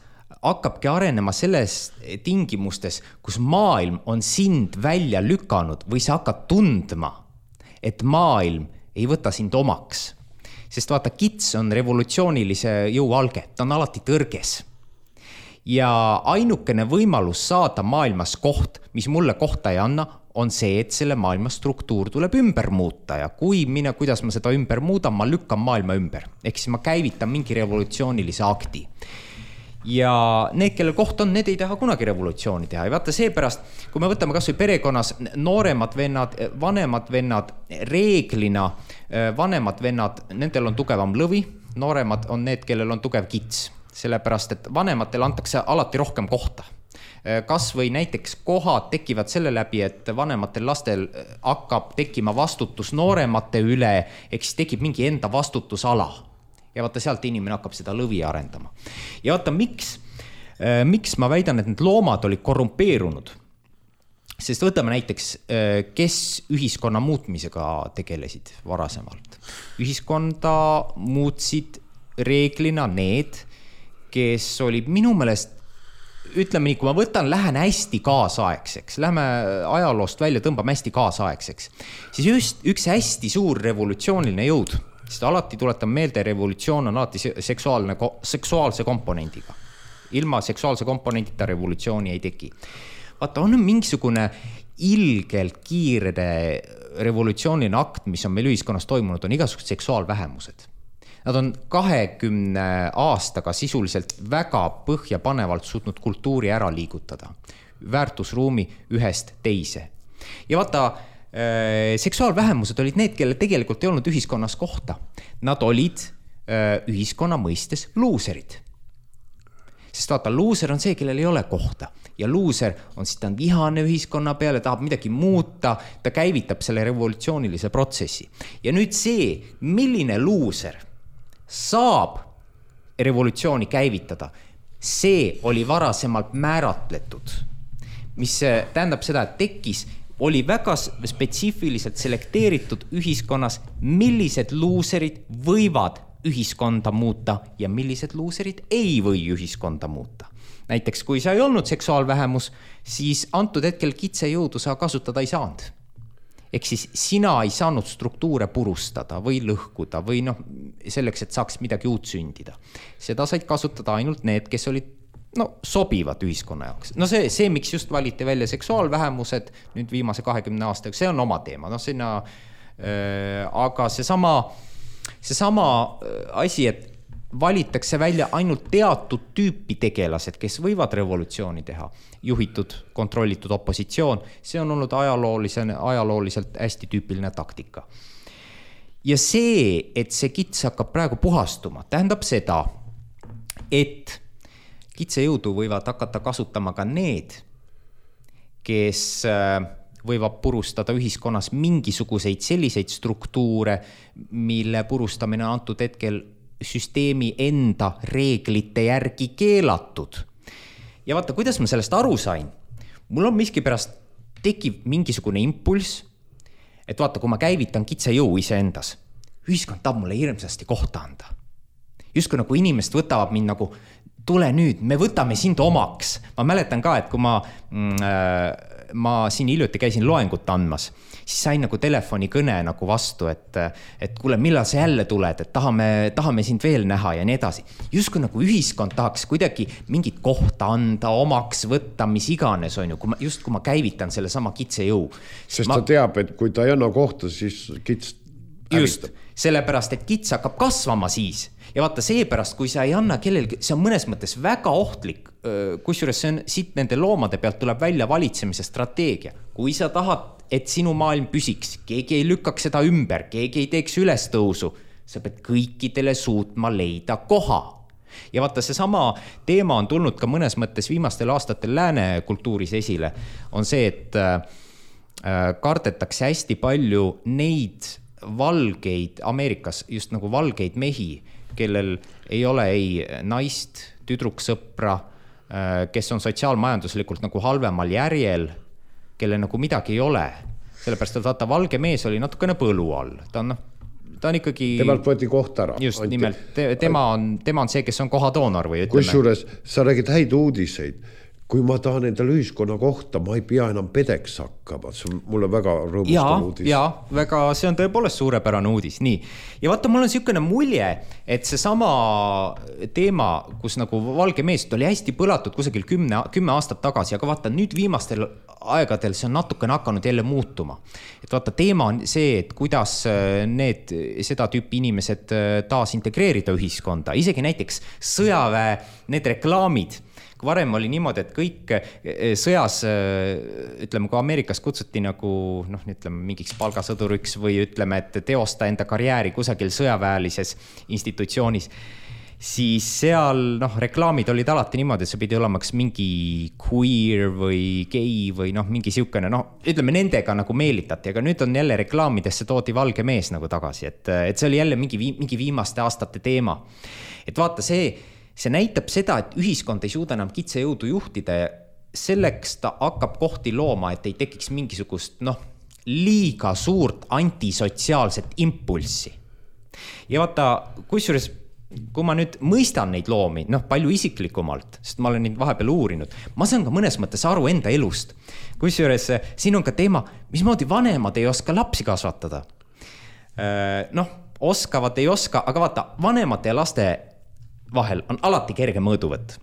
hakkabki arenema selles tingimustes, kus maailm on sind välja lükanud või sa hakkad tundma, et maailm ei võta sind omaks. Sest vaata, kits on revolutsioonilise jõu alge, ta on alati tõrges. Ja ainukene võimalus saada maailmas koht, mis mulle kohta ei anna, on see, et selle maailma struktuur tuleb ümber muuta ja kuidas ma seda ümber muudan, ma lükkan maailma ümber. Ehk siis ma käivitan mingi revolutsioonilise akti. Ja need, kelle koht on, need ei taha kunagi revolutsiooni teha. Ja vaata seepärast, kui me võtame kas või perekonnas nooremad vennad, vanemad vennad, reeglina vanemad vennad, nendel on tugevam lõvi, nooremad on need, kellel on tugev kits. Sellepärast, et vanematel antakse alati rohkem kohta. Kas või näiteks kohad tekivad selle läbi, et vanematel lastel hakkab tekkima vastutus nooremate üle, eks tekib mingi enda vastutusala. Ja vaata, sealt inimene hakkab seda lõvi arendama. Ja vaata, miks ma väidan, et need loomad olid korrumpeerunud? Sest võtame näiteks, kes ühiskonna muutmisega tegelesid varasemalt. Ühiskonda muutsid reeglina need, kes olid minu meelest, ütleme nii, kui ma võtan, lähen hästi kaasaegseks, lähme ajaloost välja, tõmbame hästi kaasaegseks, siis just üks hästi suur revolutsiooniline jõud, sest alati tuletan meelde, revolutsioon on alati seksuaalse komponendiga. Ilma seksuaalse komponendita revolutsiooni ei teki. Vaata, on mingisugune ilgelt kiire revolutsiooniline akt, mis on meil ühiskonnas toimunud, on igasugused seksuaalvähemused. Nad on 20 aastaga sisuliselt väga põhjapanevalt suutnud kultuuri ära liigutada, väärtusruumi ühest teise. Ja vaata, seksuaalvähemused olid need, kelle tegelikult ei olnud ühiskonnas kohta. Nad olid ühiskonna mõistes luuserid. Sest vaata, luuser on see, kellel ei ole kohta. Ja luuser on siis, ta on vihane ühiskonna peale, tahab midagi muuta, ta käivitab selle revolutsioonilise protsessi. Ja nüüd see, milline luuser saab revolutsiooni käivitada, see oli varasemalt määratletud. Mis tähendab seda, et tekkis, oli väga spetsiifiliselt selekteeritud ühiskonnas, millised luuserid võivad ühiskonda muuta ja millised luuserid ei või ühiskonda muuta. Näiteks, kui sa ei olnud seksuaalvähemus, siis antud hetkel kitsejõudu sa kasutada ei saanud. Ehk siis sina ei saanud struktuure purustada või lõhkuda või selleks, et saaks midagi uut sündida. Seda said kasutada ainult need, kes olid sobivad ühiskonna jaoks. See, miks just valiti välja seksuaalvähemused nüüd viimase 20 aastaga, see on oma teema. Aga seesama asi, et valitakse välja ainult teatud tüüpi tegelased, kes võivad revolutsiooni teha, juhitud, kontrollitud opositsioon, see on olnud ajalooliselt hästi tüüpiline taktika. Ja see, et see kits hakkab praegu puhastuma, tähendab seda, et kitsejõudu võivad hakata kasutama ka need, kes võivad purustada ühiskonnas mingisuguseid selliseid struktuure, mille purustamine on antud hetkel süsteemi enda reeglite järgi keelatud. Ja vaata, kuidas ma sellest aru sain? Mul on miskipärast tekib mingisugune impulss, et vaata, kui ma käivitan kitsejõu iseendas, ühiskond tahab mulle hirmsasti kohta anda. Just kui nagu inimest võtavad mind nagu, tule nüüd, me võtame sind omaks. Ma mäletan ka, et kui ma siin hiljuti käisin loengut andmas, siis sain nagu telefonikõne nagu vastu, et kuule, millal sa jälle tuled, et tahame sind veel näha ja nii edasi. Just kui nagu ühiskond tahaks kuidagi mingit kohta anda, omaks võtta, mis iganes on ju, kui ma käivitan selle sama kitsejõu. Sest ta teab, et kui ta ei anna kohta, siis kits just, sellepärast, et kits hakkab kasvama siis. Ja vaata seepärast, kui sa ei anna kellelgi, see on mõnes mõttes väga ohtlik, kusjuures see on siit nende loomade pealt tuleb välja valitsemise strateegia. Kui sa tahad, et sinu maailm püsiks, keegi ei lükkaks seda ümber, keegi ei teeks ülestõusu, sa pead kõikidele suutma leida koha. Ja vaata, see sama teema on tulnud ka mõnes mõttes viimastel aastatel lääne kultuuris esile, on see, et kardetakse hästi palju neid valgeid Ameerikas, just nagu valgeid mehi, kellel ei ole ei naist, tüdruksõpra, kes on sotsiaalmajanduslikult nagu halvemal järjel, kelle nagu midagi ei ole. Sellepärast, et vaata, valge mees oli natukene põlu all. Ta on ikkagi... Temalt võeti koht ära. Just, nimelt, tema on see, kes on kohadoonor või ütleme. Kusjuures sa räägid häid uudiseid. Kui ma tahan endale ühiskonna kohta, ma ei pea enam pedeks hakkama. See on mulle väga rõõmustav uudis. Väga, see on tõepoolest suurepärane uudis. Nii. Ja vaata, mul on niisugune mulje, et see sama teema, kus nagu valge meest oli hästi põlatud kusagil 10 aastat tagasi, aga vaata, nüüd viimastel aegadel see on natukene hakanud jälle muutuma. Et vaata, teema on see, et kuidas seda tüüpi inimesed taas integreerida ühiskonda. Isegi näiteks sõjaväe, need reklaamid, kui varem oli niimoodi, et kõik sõjas, ütleme, kui Ameerikas kutsuti nagu, ütleme, mingiks palgasõduriks või ütleme, et teosta enda karjääri kusagil sõjaväelises institutsioonis, siis seal reklaamid olid alati niimoodi, et see pidi olema mingi queer või gei või mingi siukene, ütleme, nendega nagu meelitati, aga nüüd on jälle reklaamidesse toodi valge mees nagu tagasi, et see oli jälle mingi viimaste aastate teema. Et vaata, see näitab seda, et ühiskond ei suuda enam kitsejõudu juhtida ja selleks ta hakkab kohti looma, et ei tekiks mingisugust liiga suurt antisotsiaalset impulssi. Ja vaata, kusjuures, kui ma nüüd mõistan neid loomi, palju isiklikumalt, sest ma olen neid vahepeal uurinud, ma saan ka mõnes mõttes aru enda elust. Kusjuures siin on ka teema, mismoodi vanemad ei oska lapsi kasvatada. Oskavad, ei oska, aga vaata, vanemate ja laste vahel on alati kerge mõõduvõtt.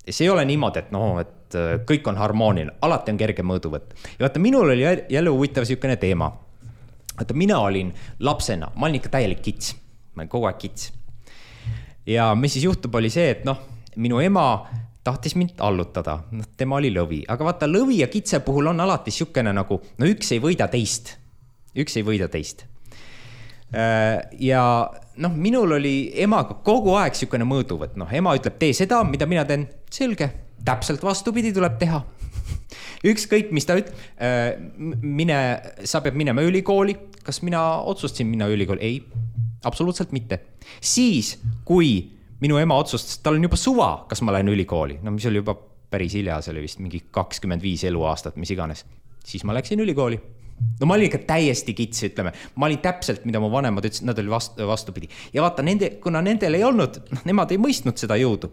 See ei ole niimoodi, et kõik on harmooniline, alati on kerge mõõduvõtt. Ja vaata, minul oli jälle huvitav siukene teema. Vaata, mina olin lapsena, ma olin ikka täielik kits, ma olin kogu aeg kits. ja mis siis juhtub, oli see, et noh, minu ema tahtis mind allutada, tema oli lõvi, aga vaata lõvi ja kitse puhul on alati siukene nagu, no üks ei võida teist. Ja noh, minul oli emaga kogu aeg siukene mõõduvõtt, noh, ema ütleb, tee seda, mida mina teen, selge, täpselt vastupidi tuleb teha. Ükskõik, mis ta ütleb, sa pead minema ülikooli, kas mina otsustasin minna ülikooli? Ei, absoluutselt mitte. Siis, kui minu ema otsustas, tal on juba suva, kas ma lähen ülikooli, no mis oli juba päris hilja, see oli vist mingi 25 eluaastat, mis iganes, siis ma läksin ülikooli. No ma olin ikka täiesti kits, ütleme, ma olin täpselt, mida mu vanemad ütlesid, nad oli vastupidi. Ja vaata, kuna nendel ei olnud, nemad ei mõistnud seda jõudu.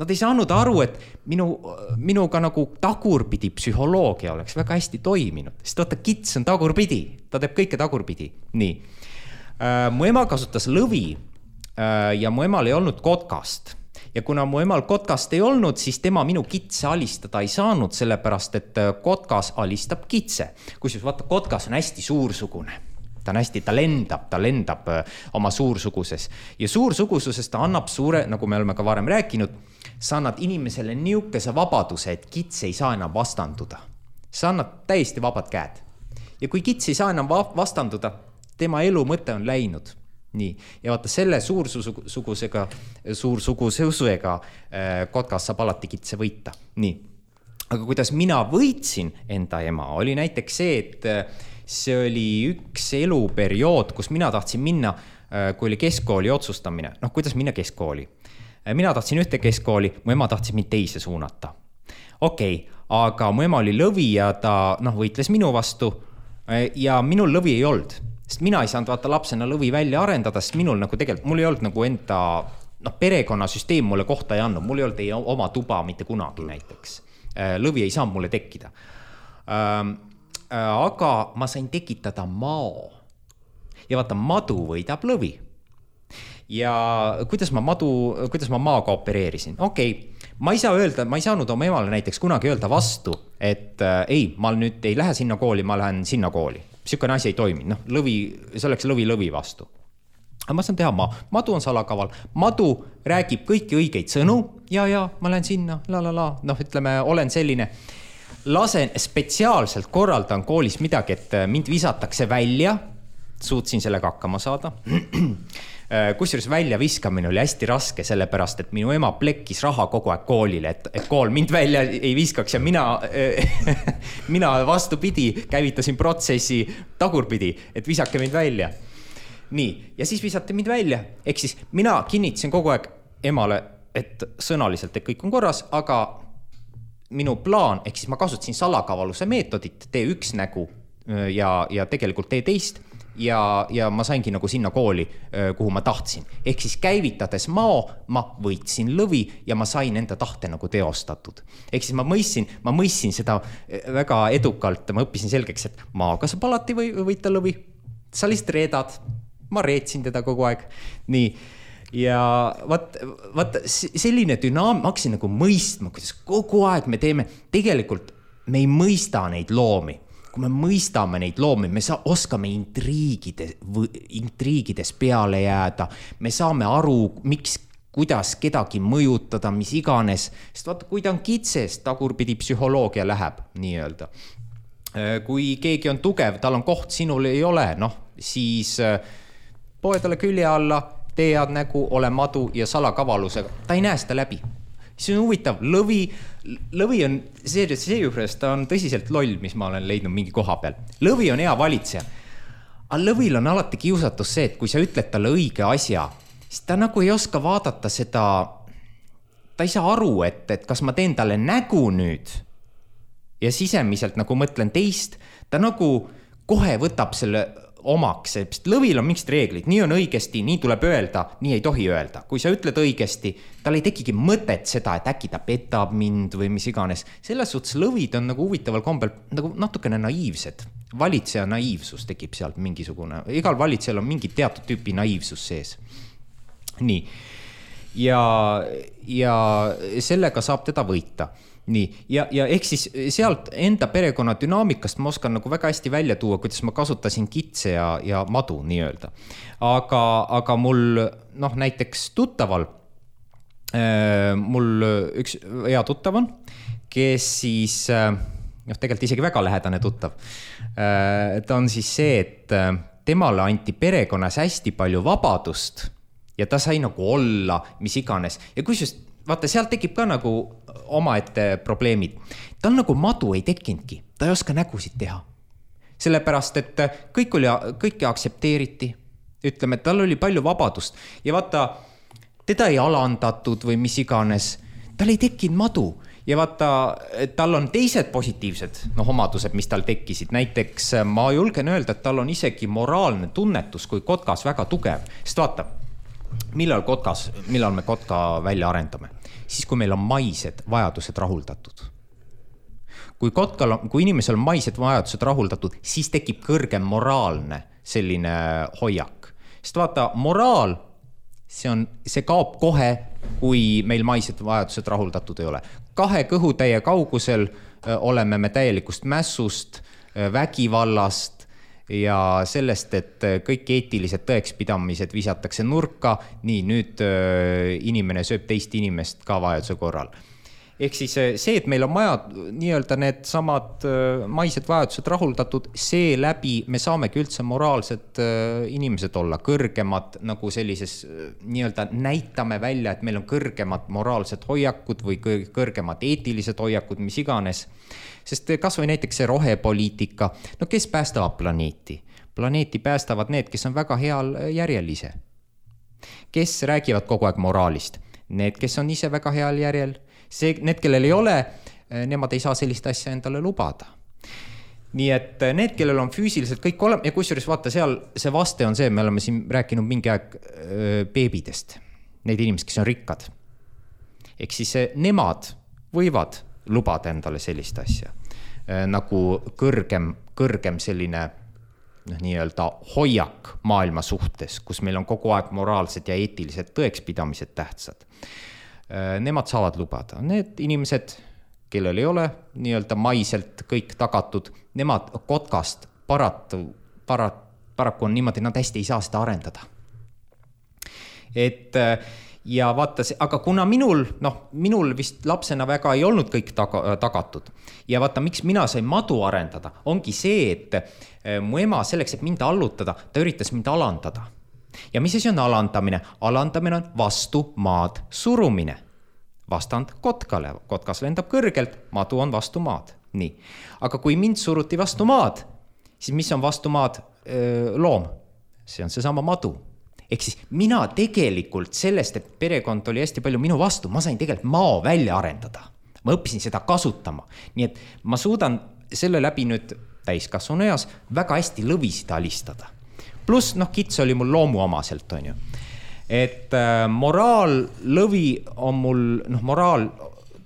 Nad ei saanud aru, et minuga nagu tagurpidi psühholoogia oleks väga hästi toiminud. Sest vaata, kits on tagurpidi, ta teeb kõike tagurpidi. Nii. Mu ema kasutas lõvi ja mu emal ei olnud kotkast. Ja kuna mu emal kotkast ei olnud, siis tema minu kitse alistada ei saanud, sellepärast, et kotkas alistab kitse. Kusjuures vaata, kotkas on hästi suursugune. Ta lendab oma suursuguses. Ja suursugususes ta annab suure, nagu me oleme ka varem rääkinud, sa annad inimesele niukese vabaduse, et kits ei saa enam vastanduda. Sa annad täiesti vabad käed. Ja kui kits ei saa enam vastanduda, tema elu mõte on läinud. Nii. Ja vaata, selle suursugususega kotkas saab alati kitse võita. Nii. Aga kuidas mina võitsin enda ema, oli näiteks see, et see oli üks eluperiood, kus mina tahtsin minna, kui oli keskkooli otsustamine. Noh, kuidas minna keskkooli? Mina tahtsin ühte keskkooli, mu ema tahtsin mind teise suunata. Okei, aga mu ema oli lõvi ja ta võitles minu vastu ja minul lõvi ei olnud. Sest mina ei saanud vaata lapsena lõvi välja arendada, sest minul nagu tegelikult, mul ei olnud nagu enda perekonnasüsteem mulle kohta ei andnud, mul ei olnud ei oma tuba mitte kunagi näiteks. Lõvi ei saanud mulle tekkida. Aga ma sain tekitada mao. Ja vaata, madu võidab lõvi. Ja kuidas ma maaga opereerisin? Okei, ma ei saa öelda, ma ei saanud oma emale näiteks kunagi öelda vastu, et ei, ma nüüd ei lähe sinna kooli, ma lähen sinna kooli. Siukene asi ei toimi, see oleks lõvi vastu. Aga ma saan teha madu on salakaval, madu räägib kõiki õigeid sõnu, ja, ma lähen sinna, ütleme, olen selline, lasen spetsiaalselt korraldan koolis midagi, et mind visatakse välja, suutsin sellega hakkama saada. Kusjuures välja viskamine oli hästi raske, sellepärast, et minu ema plekkis raha kogu aeg koolile, et kool mind välja ei viskaks ja mina vastupidi käivitasin protsessi tagurpidi, et visake mind välja. Nii, ja siis visati mind välja. Ehk siis mina kinnitasin kogu aeg emale, et sõnaliselt et kõik on korras, aga minu plaan, ehk siis ma kasutasin salakavaluse meetodit, tee üks nägu ja tegelikult tee teist. Ja ma saingi nagu sinna kooli, kuhu ma tahtsin. Ehk siis käivitades mao, ma võitsin lõvi ja ma sain enda tahte nagu teostatud. Ehk siis ma mõistsin seda väga edukalt, ma õppisin selgeks, et maaga saab alati võita lõvi. Sa lihtsalt reedad, ma reetsin teda kogu aeg. Nii, ja vaat selline dünaam, ma hakkasin nagu mõistma, kuidas kogu aeg me teeme, tegelikult me ei mõista neid loomi. Kui me mõistame neid loomi, me oskame intriigides peale jääda, me saame aru, kuidas kedagi mõjutada, mis iganes, sest vaata, kui ta on kitses, tagurpidi psühholoogia läheb, nii öelda. Kui keegi on tugev, tal on koht, sinul ei ole, siis poe talle külje alla, tee head nägu, ole madu ja salakavalusega, ta ei näe seda läbi. See on huvitav, lõvi on, see juures, ta on tõsiselt loll, mis ma olen leidnud mingi koha peal. Lõvi on hea valitseja. Aga lõvil on alati kiusatus see, et kui sa ütled talle õige asja, siis ta nagu ei oska vaadata seda, ta ei saa aru, et kas ma teen talle nägu nüüd ja sisemiselt nagu mõtlen teist, ta nagu kohe võtab selle omaks, sest lõvil on mingid reeglid, nii on õigesti, nii tuleb öelda, nii ei tohi öelda. Kui sa ütled õigesti, tal ei tekigi mõtet seda, et äkki ta petab mind või mis iganes. Selles suhtes lõvid on nagu huvitaval kombel nagu natukene naiivsed. Valitseja naiivsus tekib sealt mingisugune. Igal valitsejal on mingi teatud tüüpi naiivsus sees. Nii. Ja sellega saab teda võita. Nii, ja ehk siis sealt enda perekonna dünaamikast ma oskan nagu väga hästi välja tuua, kuidas ma kasutasin kitse ja madu nii öelda. Aga mul näiteks tuttaval mul üks hea tuttav on, kes siis, tegelikult isegi väga lähedane tuttav, ta on siis see, et temale anti perekonnas hästi palju vabadust ja ta sai nagu olla, mis iganes. Ja kusjuures, vaata, seal tekib ka nagu omaette probleemid. Tal nagu madu ei tekkinudki, ta ei oska nägusid teha. Sellepärast, et kõike aktsepteeriti. Ütleme, et tal oli palju vabadust ja vaata, teda ei alandatud või mis iganes. Tal ei tekkinud madu ja vaata, tal on teised positiivsed omadused, mis tal tekkisid. Näiteks ma julgen öelda, et tal on isegi moraalne tunnetus, kui kotkas väga tugev. Sest vaata, millal me kotka välja arendame? Siis, kui meil on maised vajadused rahuldatud. Kui inimesel on maised vajadused rahuldatud, siis tekib kõrgem moraalne selline hoiak. Sest vaata, moraal, see kaob kohe, kui meil maised vajadused rahuldatud ei ole. 2 kõhutäie kaugusel oleme me täielikust mässust, vägivallast ja sellest, et kõik eetilised tõekspidamised visatakse nurka, nii nüüd inimene sööb teist inimest ka vajaduse korral. Ehk siis see, et meil on maja nii-öelda need samad maised vajadused rahuldatud, see läbi me saamegi üldse moraalsed inimesed olla, kõrgemad nagu sellises nii-öelda näitame välja, et meil on kõrgemad moraalsed hoiakud või kõrgemad eetilised hoiakud, mis iganes. Sest kas või näiteks see rohepoliitika, no kes päästavad planeeti? Planeeti päästavad need, kes on väga heal järjel ise. Kes räägivad kogu aeg moraalist? Need, kes on ise väga heal järjel. Need, kellel ei ole, nemad ei saa sellist asja endale lubada. Nii et need, kellel on füüsiliselt kõik olema, ja kusjuures vaata seal, see vaste on see, me oleme siin rääkinud mingi aeg beebidest, neid inimesed, kes on rikkad. Ehk siis nemad võivad lubada endale sellist asja, nagu kõrgem selline nii-öelda hoiak maailma suhtes, kus meil on kogu aeg moraalsed ja eetilised tõekspidamised tähtsad. Nemad saavad lubada. Need inimesed, kellel ei ole nii-öelda maiselt kõik tagatud, nemad kotkast paraku on niimoodi, nad hästi ei saa seda arendada. Ja vaata, aga kuna minul vist lapsena väga ei olnud kõik tagatud ja vaata, miks mina sain madu arendada, ongi see, et mu ema selleks, et mind allutada, ta üritas mind alandada. Ja mis asi on alandamine? Alandamine on vastu maad surumine. Vastand kotkale. Kotkas lendab kõrgelt, madu on vastu maad. Nii. Aga kui mind suruti vastu maad, siis mis on vastu maad loom? See on seesama madu. Ehk siis mina tegelikult sellest, et perekond oli hästi palju minu vastu, ma sain tegelikult mao välja arendada. Ma õppisin seda kasutama. Nii et ma suudan selle läbi nüüd täiskasvanu eas väga hästi lõvisid alistada. Plus, kits oli mul loomu omaselt, on ju. Et moraal, lõvi on mul,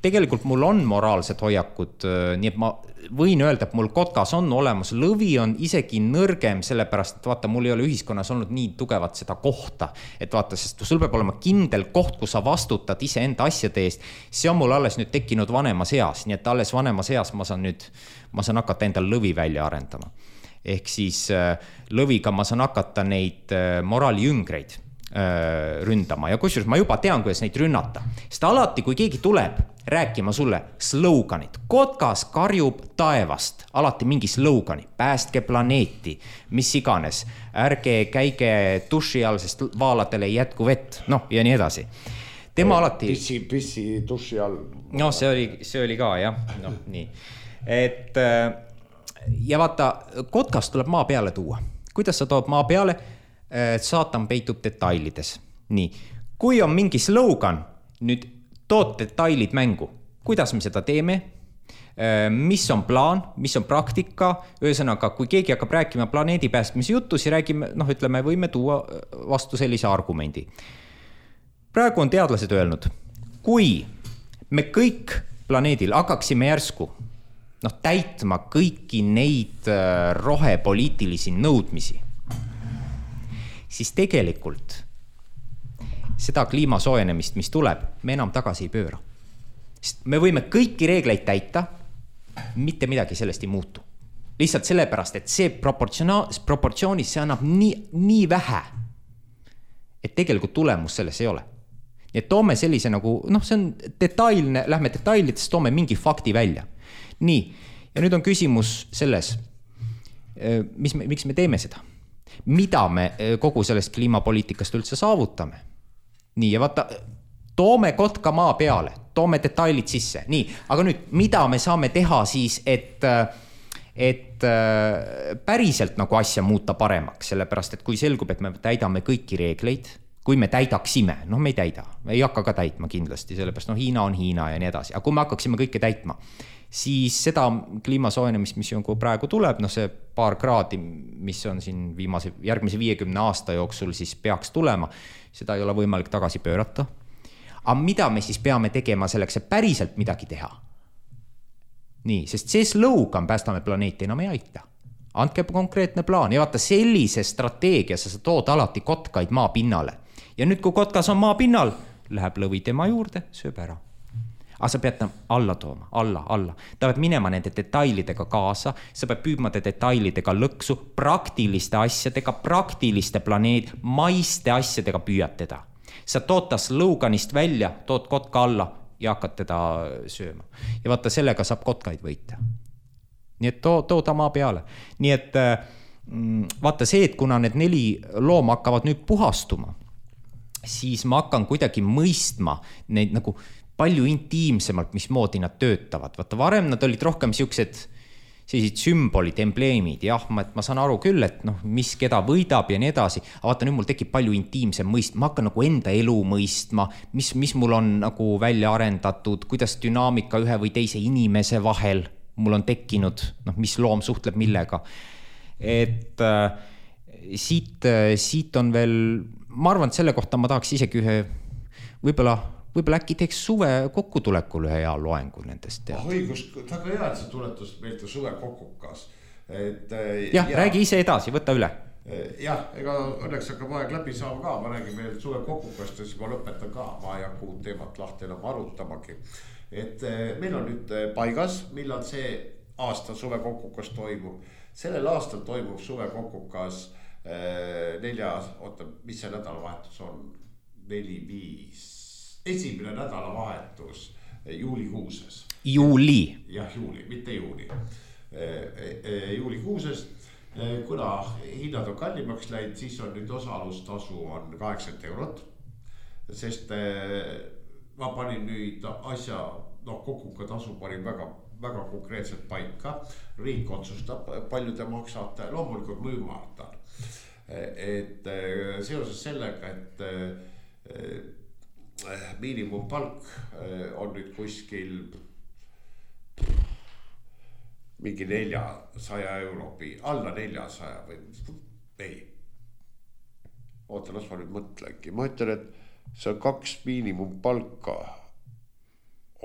tegelikult mul on moraalsed hoiakud, nii et ma võin öelda, et mul kotkas on olemas, lõvi on isegi nõrgem, sellepärast, et vaata, mul ei ole ühiskonnas olnud nii tugevat seda kohta, et vaata, sest sul peab olema kindel koht, kus sa vastutad ise enda asjade eest, see on mul alles nüüd tekkinud vanemas eas, nii et alles vanemas eas ma saan hakata endal lõvi välja arendama. Ehk siis lõviga ma saan hakata neid moraalijüngreid ründama ja kusjuures ma juba tean, kuidas neid rünnata. Sest alati, kui keegi tuleb rääkima sulle sloganit, kotkas karjub taevast, alati mingi slogani, päästke planeeti, mis iganes, ärge käige duši all, sest vaaladele ei jätku vett, ja nii edasi. Tema alati... Pissi duši all. See oli ka, jah. Nii. Et... Ja vaata, kotkas tuleb maa peale tuua. Kuidas sa tood maa peale? Saatan peitub detailides. Nii. Kui on mingi slogan, nüüd tood detailid mängu. Kuidas me seda teeme? Mis on plaan? Mis on praktika? Ühesõnaga, kui keegi hakkab rääkima planeedi päästmise juttu, siis räägime, ütleme, võime tuua vastu sellise argumendi. Praegu on teadlased öelnud, kui me kõik planeedil hakkaksime järsku täitma kõiki neid rohepoliitilisi nõudmisi, siis tegelikult seda kliimasoojenemist, mis tuleb, me enam tagasi ei pööra. Sest me võime kõiki reegleid täita, mitte midagi sellest ei muutu. Lihtsalt sellepärast, et see proportsioonis see annab nii vähe, et tegelikult tulemus selles ei ole. nii et toome sellise nagu, see on detailne, lähme detailidest, toome mingi fakti välja. Nii, ja nüüd on küsimus selles, miks me teeme seda? Mida me kogu sellest kliimapoliitikast üldse saavutame? Nii, ja vaata, toome kotka maa peale, toome detailid sisse. Nii, aga nüüd, mida me saame teha siis, et päriselt nagu asja muuta paremaks, sellepärast, et kui selgub, et me täidame kõiki reegleid, kui me täidaksime, me ei täida, ei hakka ka täitma kindlasti, sellepärast Hiina on Hiina ja nii edasi, aga kui me hakkaksime kõike täitma, siis seda kliimasoojenemist, mis praegu tuleb, see paar kraadi, mis on siin järgmise 50 aasta jooksul, siis peaks tulema, seda ei ole võimalik tagasi pöörata. Aga mida me siis peame tegema selleks, et päriselt midagi teha? Nii, sest see slogan päästame planeeti enam ei aita. Andke konkreetne plaan ja vaata sellise strateegia sa tood alati kotkaid maa pinnale. Ja nüüd, kui kotkas on maa pinnal, läheb lõvi tema juurde, sööb ära. Aga sa pead ta alla tooma, alla. Ta peab minema nende detailidega kaasa, sa pead püüdma detailidega lõksu, praktiliste asjadega, praktiliste maiste asjadega püüad teda. Sa tood ta sloganist välja, tood kotka alla ja hakkad teda sööma. Ja vaata, sellega saab kotkaid võita. Nii et too ta maa peale. Nii et vaata see, et kuna need 4 looma hakkavad nüüd puhastuma, siis ma hakkan kuidagi mõistma neid nagu palju intiimsemalt, mismoodi nad töötavad. Vaata, varem nad olid rohkem sellised sümbolid, embleemid. Jah, ma saan aru küll, et mis keda võidab ja nii edasi. Aga vaata, nüüd mul tekib palju intiimsem mõist. Ma hakkan nagu enda elu mõistma, mis mul on nagu välja arendatud, kuidas dünaamika ühe või teise inimese vahel mul on tekkinud, mis loom suhtleb millega. Et siit on veel, ma arvan, et selle kohta ma tahaks isegi ühe, võib-olla äkki teeks suve kokkutulekul ühe hea loengu nendest. Õigus, väga hea, et sa tuletus meelde suve kokkukas. Räägi ise edasi, võta üle. Jah, ega õnneks hakkab aeg läbi saama ka, ma räägin meil suve kokkukast ja siis ma lõpetan ka, ma ei hakka uut teemat lahti enam arutamagi. Et meil on nüüd paigas, millal see aasta suve kokkukas toimub. Sellel aastal toimub suve kokkukas 4, mis see nädalavahetus on? 4-5. Esimene nädalavahetus juulikuuses. Juuli. Jah, juuli, mitte juuni. Juulikuuses, kuna hinnad on kallimaks läinud, siis on nüüd osalustasu on 80 €. Sest ma panin nüüd asja, kokkuka tasu panin väga konkreetselt paika. Riik otsustab, palju te maksate, loomulikult mõjumaatan. Et seoses sellega, et miinimumpalk on nüüd kuskil mingi 400 € alla 400 või ei. Oota, las ma nüüd mõtlengi. Ma ütlen, et see on 2 miinimumpalka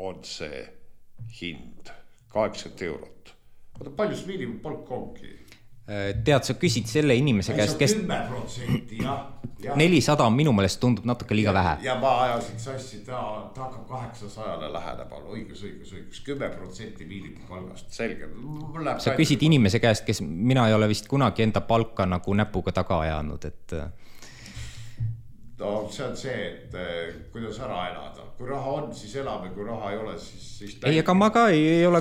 on see hind, 80 €. Oota, palju see miinimumpalk ongi? Tead, sa küsid selle inimese käest, kes 10%, jah. 400 minu meelest tundub natuke liiga vähe. Ja ma ajasin sassi, ta hakkab 800 lähenema, õigus, 10% miinimumpalgast, selge. Sa küsid inimese käest, kes mina ei ole vist kunagi enda palka nagu näpuga taga ajanud, et see on see, et kuidas ära elada. Kui raha on, siis elame, kui raha ei ole, siis ei, aga ma ka ei ole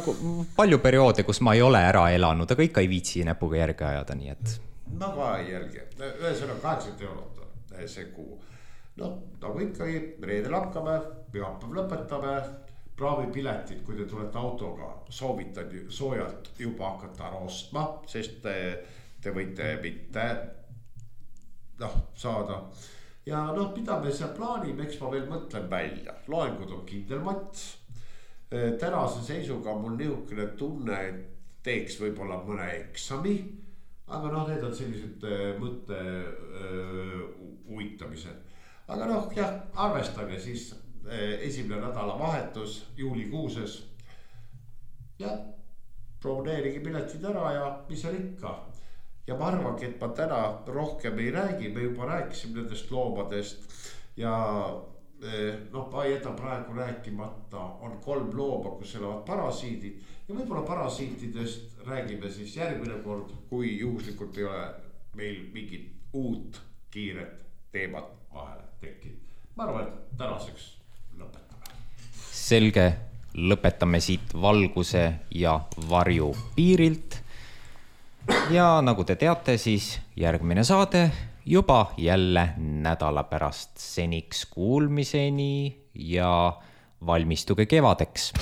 palju perioode, kus ma ei ole ära elanud, aga ikka ei viitsi näpuga järge ajada, nii et ma ka ei jälgi. Ühesõnaga 80 € see kuu. Nagu ikka, reedel hakkame, pühapäev lõpetame, praavipiletid, kui te tulete autoga, soovitan soojalt juba hakata ära ostma, sest te võite mitte saada. Ja mida me seal plaanime, eks ma veel mõtlen välja. Loengud on kindel mats. Tänase seisuga mul niisugune tunne, et teeks võib-olla mõne eksami. Aga need on sellised mõtte uitamised. Aga jah, arvestage siis esimene nädalavahetus juulikuuses. Ja broneerige piletid ära ja mis seal ikka. Ja ma arvangi, et ma täna rohkem ei räägi, me juba rääkisime nendest loomadest ja ma ei jäta praegu rääkimata, on 3 looma, kus elavad parasiidid ja võib-olla parasiitidest räägime siis järgmine kord, kui juhuslikult ei ole meil mingit uut kiiret teemat vahele tekkinud. ma arvan, et tänaseks lõpetame. Selge, lõpetame siit valguse ja varju piirilt. Ja nagu te teate, siis järgmine saade juba jälle nädala pärast. Seniks kuulmiseni ja valmistuge kevadeks.